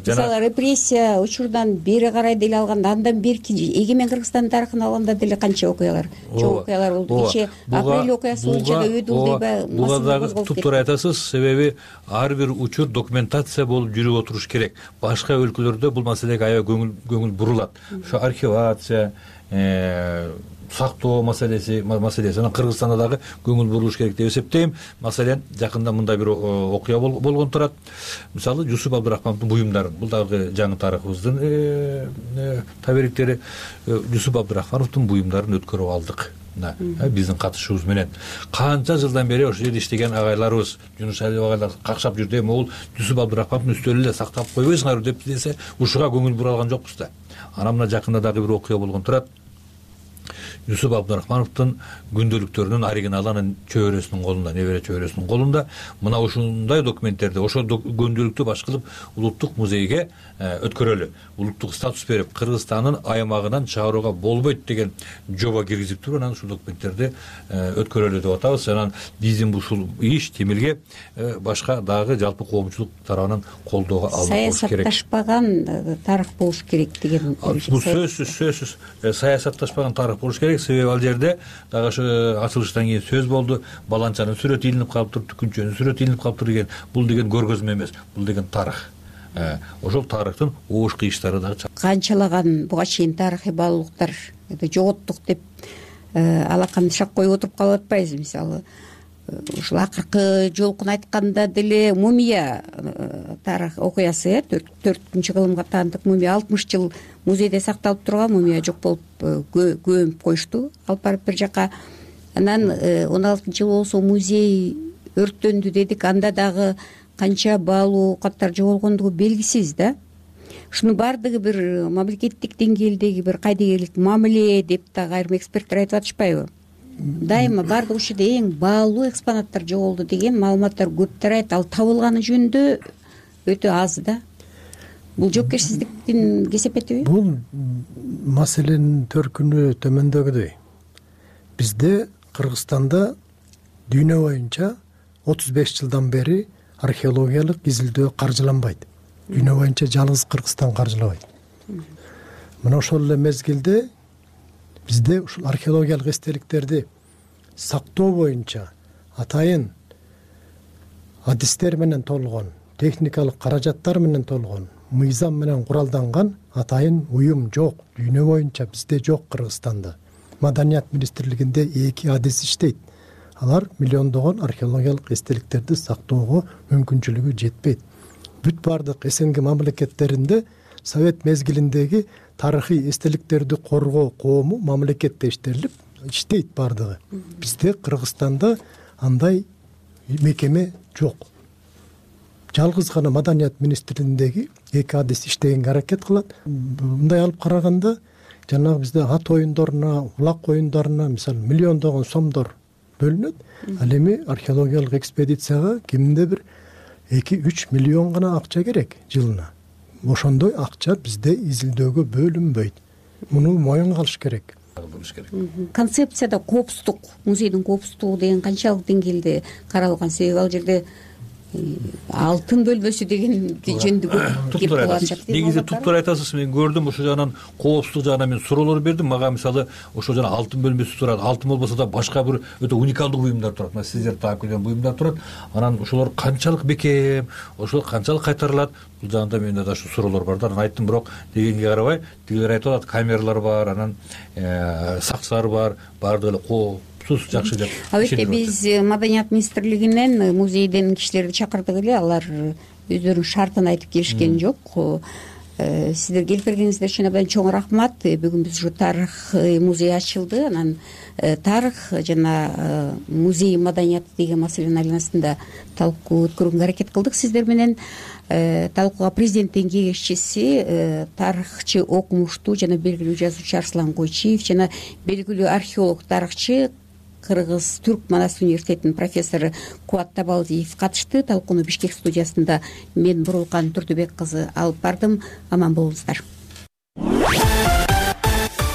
Speaker 19: Мисалы репрессия учурдан бери карай деле алганда, андан берки эгемен Кыргызстандын тарыхын алганда деле канча окуялар, чоң окуялар болду. Кечээ апрель окуясы боюнча да өдүл дейби?
Speaker 21: Буга дагы туптуура айтасыз, себеби ар бир учур документация болуп жүрүп отуруш керек. Башка өлкөлөрдө бул маселеге аябай көңүл бурулат. Ошо архивация, сактоо маселеси, анан Кыргызстанда дагы көңүл бурулуш керек деп эсептейм. Маселен, жакында мындай бир окуя болгон турат. Мисалы, Жусуп Абдурахмановдун буюмдарын, бул дагы жаңы тарыхыбыздын табериктери. Жусуп Абдурахмановдун буюмдарын өткөрүп алдык. Биздин катышуубуз менен канча жылдан бери ошол жерде иштеген агайларыбыз, Жунушалиев агайлар какшап жүрдү, могул Жусуп Абдурахмановдун үстөлү эле сактап койбойсуңарбы деп десе, ушуга көңүл бура алган жокпуз да. Анан мына жакында дагы бир окуя болгон турат. Юсуп Абдурахмановдун күндөлүктөрүнүн оригиналы анын чөбөрөсүнүн колунда, небере чөбөрөсүнүн колунда. Мына ушундай документтерди ошол күндөлүктү баш кылып улуттук музейге өткөрөлү, улуттук статус берип, Кыргызстандын аймагынан чыгарууга болбойт деген жоба киргизип туруп, анан ушул документтерди өткөрөлү деп атабыз. Анан биздин ушул иш Темирге башка дагы жалпы коомчулук тарабынан колдоого алынып болуш керек.
Speaker 19: Саясатташпаган тарых болуш керек деген.
Speaker 21: Бул сөзсүз саясатташпаган тарых болуш керек. Себеби ал жерде дагы ошо ачылыштан кийин сөз болду. Баланчанын сүрөтү илинип калыптыр, Түкүнчөнүн сүрөтү илинип калыптыр деген. Бул деген көргөзмө эмес, бул деген тарых. Ошол тарыхтын оош кыйыштары дагы
Speaker 19: канчалаган буга чейин тарыхый баалуулуктар жоготтук деп алаканды шак коюп отуруп калып атпайбызбы? Мисалы ушул акыркы жолкун айтканда деле мумия тарых окуясы 4-кылымга таандык мумия 60 жыл музейде сакталып турган мумия жок болуп көмүп коюшту, алып барып бир жака. Анан 16-жыл болсо музей өрттөндү дедик, анда дагы канча баалуу каттар жоголгондугу белгисиз да. Ушунун баардыгы бир мамлекеттик деңгээлдеги бир кайдыгерлик мамиле деп дагы айрым эксперттер айтып атышпайбы? Дайыма баардык ушул жерде эң баалуу экспонаттар жоголду деген маалыматтар көп тарайт, ал табылганы жөнүндө өтө аз да. Бул жоопкерсиздиктин кесепетиби?
Speaker 20: Бул маселенин төркүнү төмөндөгүдөй. Бизде Кыргызстанда дүйнө боюнча 35 жылдан бери археологиялык изилдөө каржыланбайт. Дүйнө боюнча жалгыз Кыргызстан каржылабайт. Мына ошол эле мезгилде бизде ушул археологиялык эстеликтерди сактоо боюнча атайын адистер менен толгон, техникалык каражаттар менен толгон, мыйзам менен куралданган атайын уюм жок. Дүйнө боюнча бизде жок Кыргызстанда. Маданият министрлигинде 2 адис иштейт. Алар миллиондогон археологиялык эстеликтерди сактоого мүмкүнчүлүгү жетпейт. Бүт бардык СНГ мамлекеттеринде Совет мезгилиндеги тарыхый эстеликтерди коргоо коому мамлекетте иштейт бардыгы. Бизде Кыргызстанда андай мекеме жок. Жалгыз гана Маданият министрлигиндеги 2 адис иштегенге аракет кылат. Мындай алып караганда жанагы бизде ат оюндоруна, улак оюндарына мисалы миллиондогон сомдор бөлүнөт. Ал эми археологиялык экспедицияга кимде бир 2-3 миллион гана акча керек жылына. Ошондой акча бизде изилдөөгө бөлүнбөйт. Муну моюнга алыш керек.
Speaker 19: Концепцияда коопсуздук, музейдин коопсуздугу деген канчалык деңгээлде каралган? Себеби ал жерде алтын бөлмөсү деген жөнүндө кеп калат.
Speaker 21: Негизи туптур айтасыз. Мен көрдүм ошол жагынан, коопсуздук жагынан мен суроолор бердим. Мага мисалы ошол жана алтын бөлмөсү турат. Алтын болбосо да башка бир өтө уникалдуу буюмдар турат. Мына сиздер таап келген буюмдар турат. Анан ошолор канчалык бекем, ошол канчалык кайтарылат? Бул жагында менде да ушу суроолор бар да. Анан айттым, бирок дегенге карабай, тигилер айтып атат, камералар бар, анан сакчылар бар, баардыгы эле жакшы деп.
Speaker 19: Албетте биз Маданият министрлигинен музейден кишилерди чакырдык эле, алар өздөрүнүн шартын айтып келишкен жок. Сиздер келип бергениңиздер үчүн абдан чоң рахмат. Бүгүн биз ушу тарых музей ачылды. Анан тарых жана музей маданияты деген маселенин айланасында талкуу өткөргөнгө аракет кылдык сиздер менен. Талкууга президенттин кеңешчиси, тарыхчы, окумуштуу жана белгилүү жазуучу Арслан Койчиев жана белгилүү археолог, тарыхчы, Кыргыз Түрк Манас университетинин профессору Кубат Табалдиев катышты. Талкууну Бишкек студиясында мен Бурулкан Турдубек кызы алып бардым. Аман болуңуздар.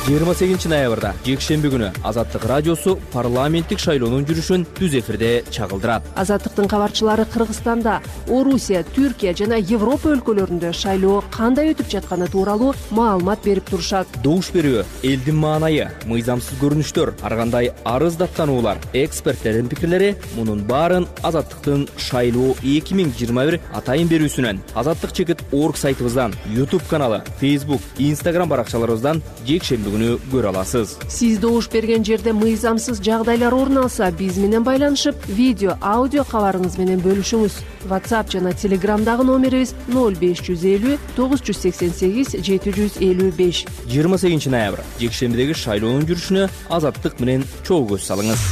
Speaker 17: 28 ноябрда жекшемби күнү Азаттык радиосу парламенттик шайлоонун жүрүшүн түз эфирде чагылдырат.
Speaker 1: Азаттыктын кабарчылары Кыргызстанда, Орусия, Түркия жана Европа өлкөлөрүндө шайлоо кандай өтүп жатканы тууралуу маалымат берип турушат.
Speaker 17: Добуш берүү, элдин маанайы, мыйзамсыз көрүнүштөр, ар кандай арыз даттануулар, эксперттердин пикирлери мунун баарын Азаттыктын шайлоо 2021 атайын берүүсүнөн, azattik.org сайтыбыздан, YouTube каналы, Facebook, Instagram баракчаларыбыздан жекшемби күнү көрө аласыз.
Speaker 1: Сиз добуш берген жерде мыйзамсыз жагдайлар орун алса, биз менен байланышып, видео, аудио кабарыңыз менен бөлүшүңүз. WhatsApp жана Telegramдагы номерибиз 0550 988 755.
Speaker 17: 28 ноябрь жекшембидеги шайлоонун жүрүшүнө Азаттык менен чогуу көз салыңыз.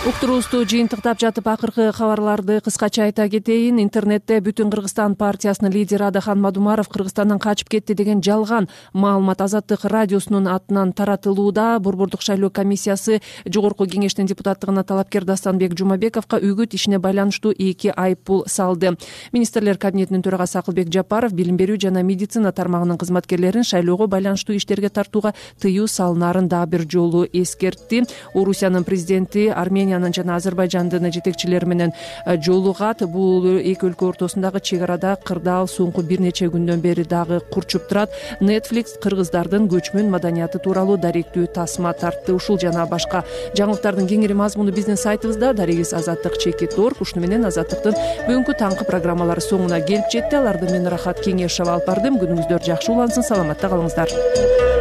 Speaker 1: уктуруубузду жыйынтыктап жатып акыркы кабарларды кыскача айта кетейин. Интернетте Бүтүн Кыргызстан партиясынын лидери Адахан Мадумаров Кыргызстандан качып кетти деген жалган маалымат Азаттык радиосунун атынан таратылууда. Борбордук шайлоо комиссиясы жогорку кеңештин депутаттыгына талапкер Дастанбек Жумабековго үгүт ишине байланыштуу 2 айыппул салды. Министрлер кабинетинин төрагасы Акылбек Жапаров билим берүү жана медицина тармагынын кызматкерлерин шайлоого байланыштуу иштерге тартууга тыюу салынарын дагы бир жолу эскертти. Орусиянын президенти Армениянын жана Азербайжандын жетекчилери менен жолугат. Бул эки өлкө ортосундагы чек арада кырдаал соңку бир нече күндөн бери дагы курчуп турат. Netflix кыргыздардын көчмөн маданияты тууралуу даректүү тасма тартты. Ушул жана башка жаңылыктардын кеңири мазмуну биздин сайтыбызда. Дарегиз Азаттык.org. Ушуну менен Азаттыктын бүгүнкү таңкы программалары соңуна келип жетти. Аларды мен Рахат Кеңешова алып бардым. Күнүңүздөр жакшы улансын, саламатта калыңыздар.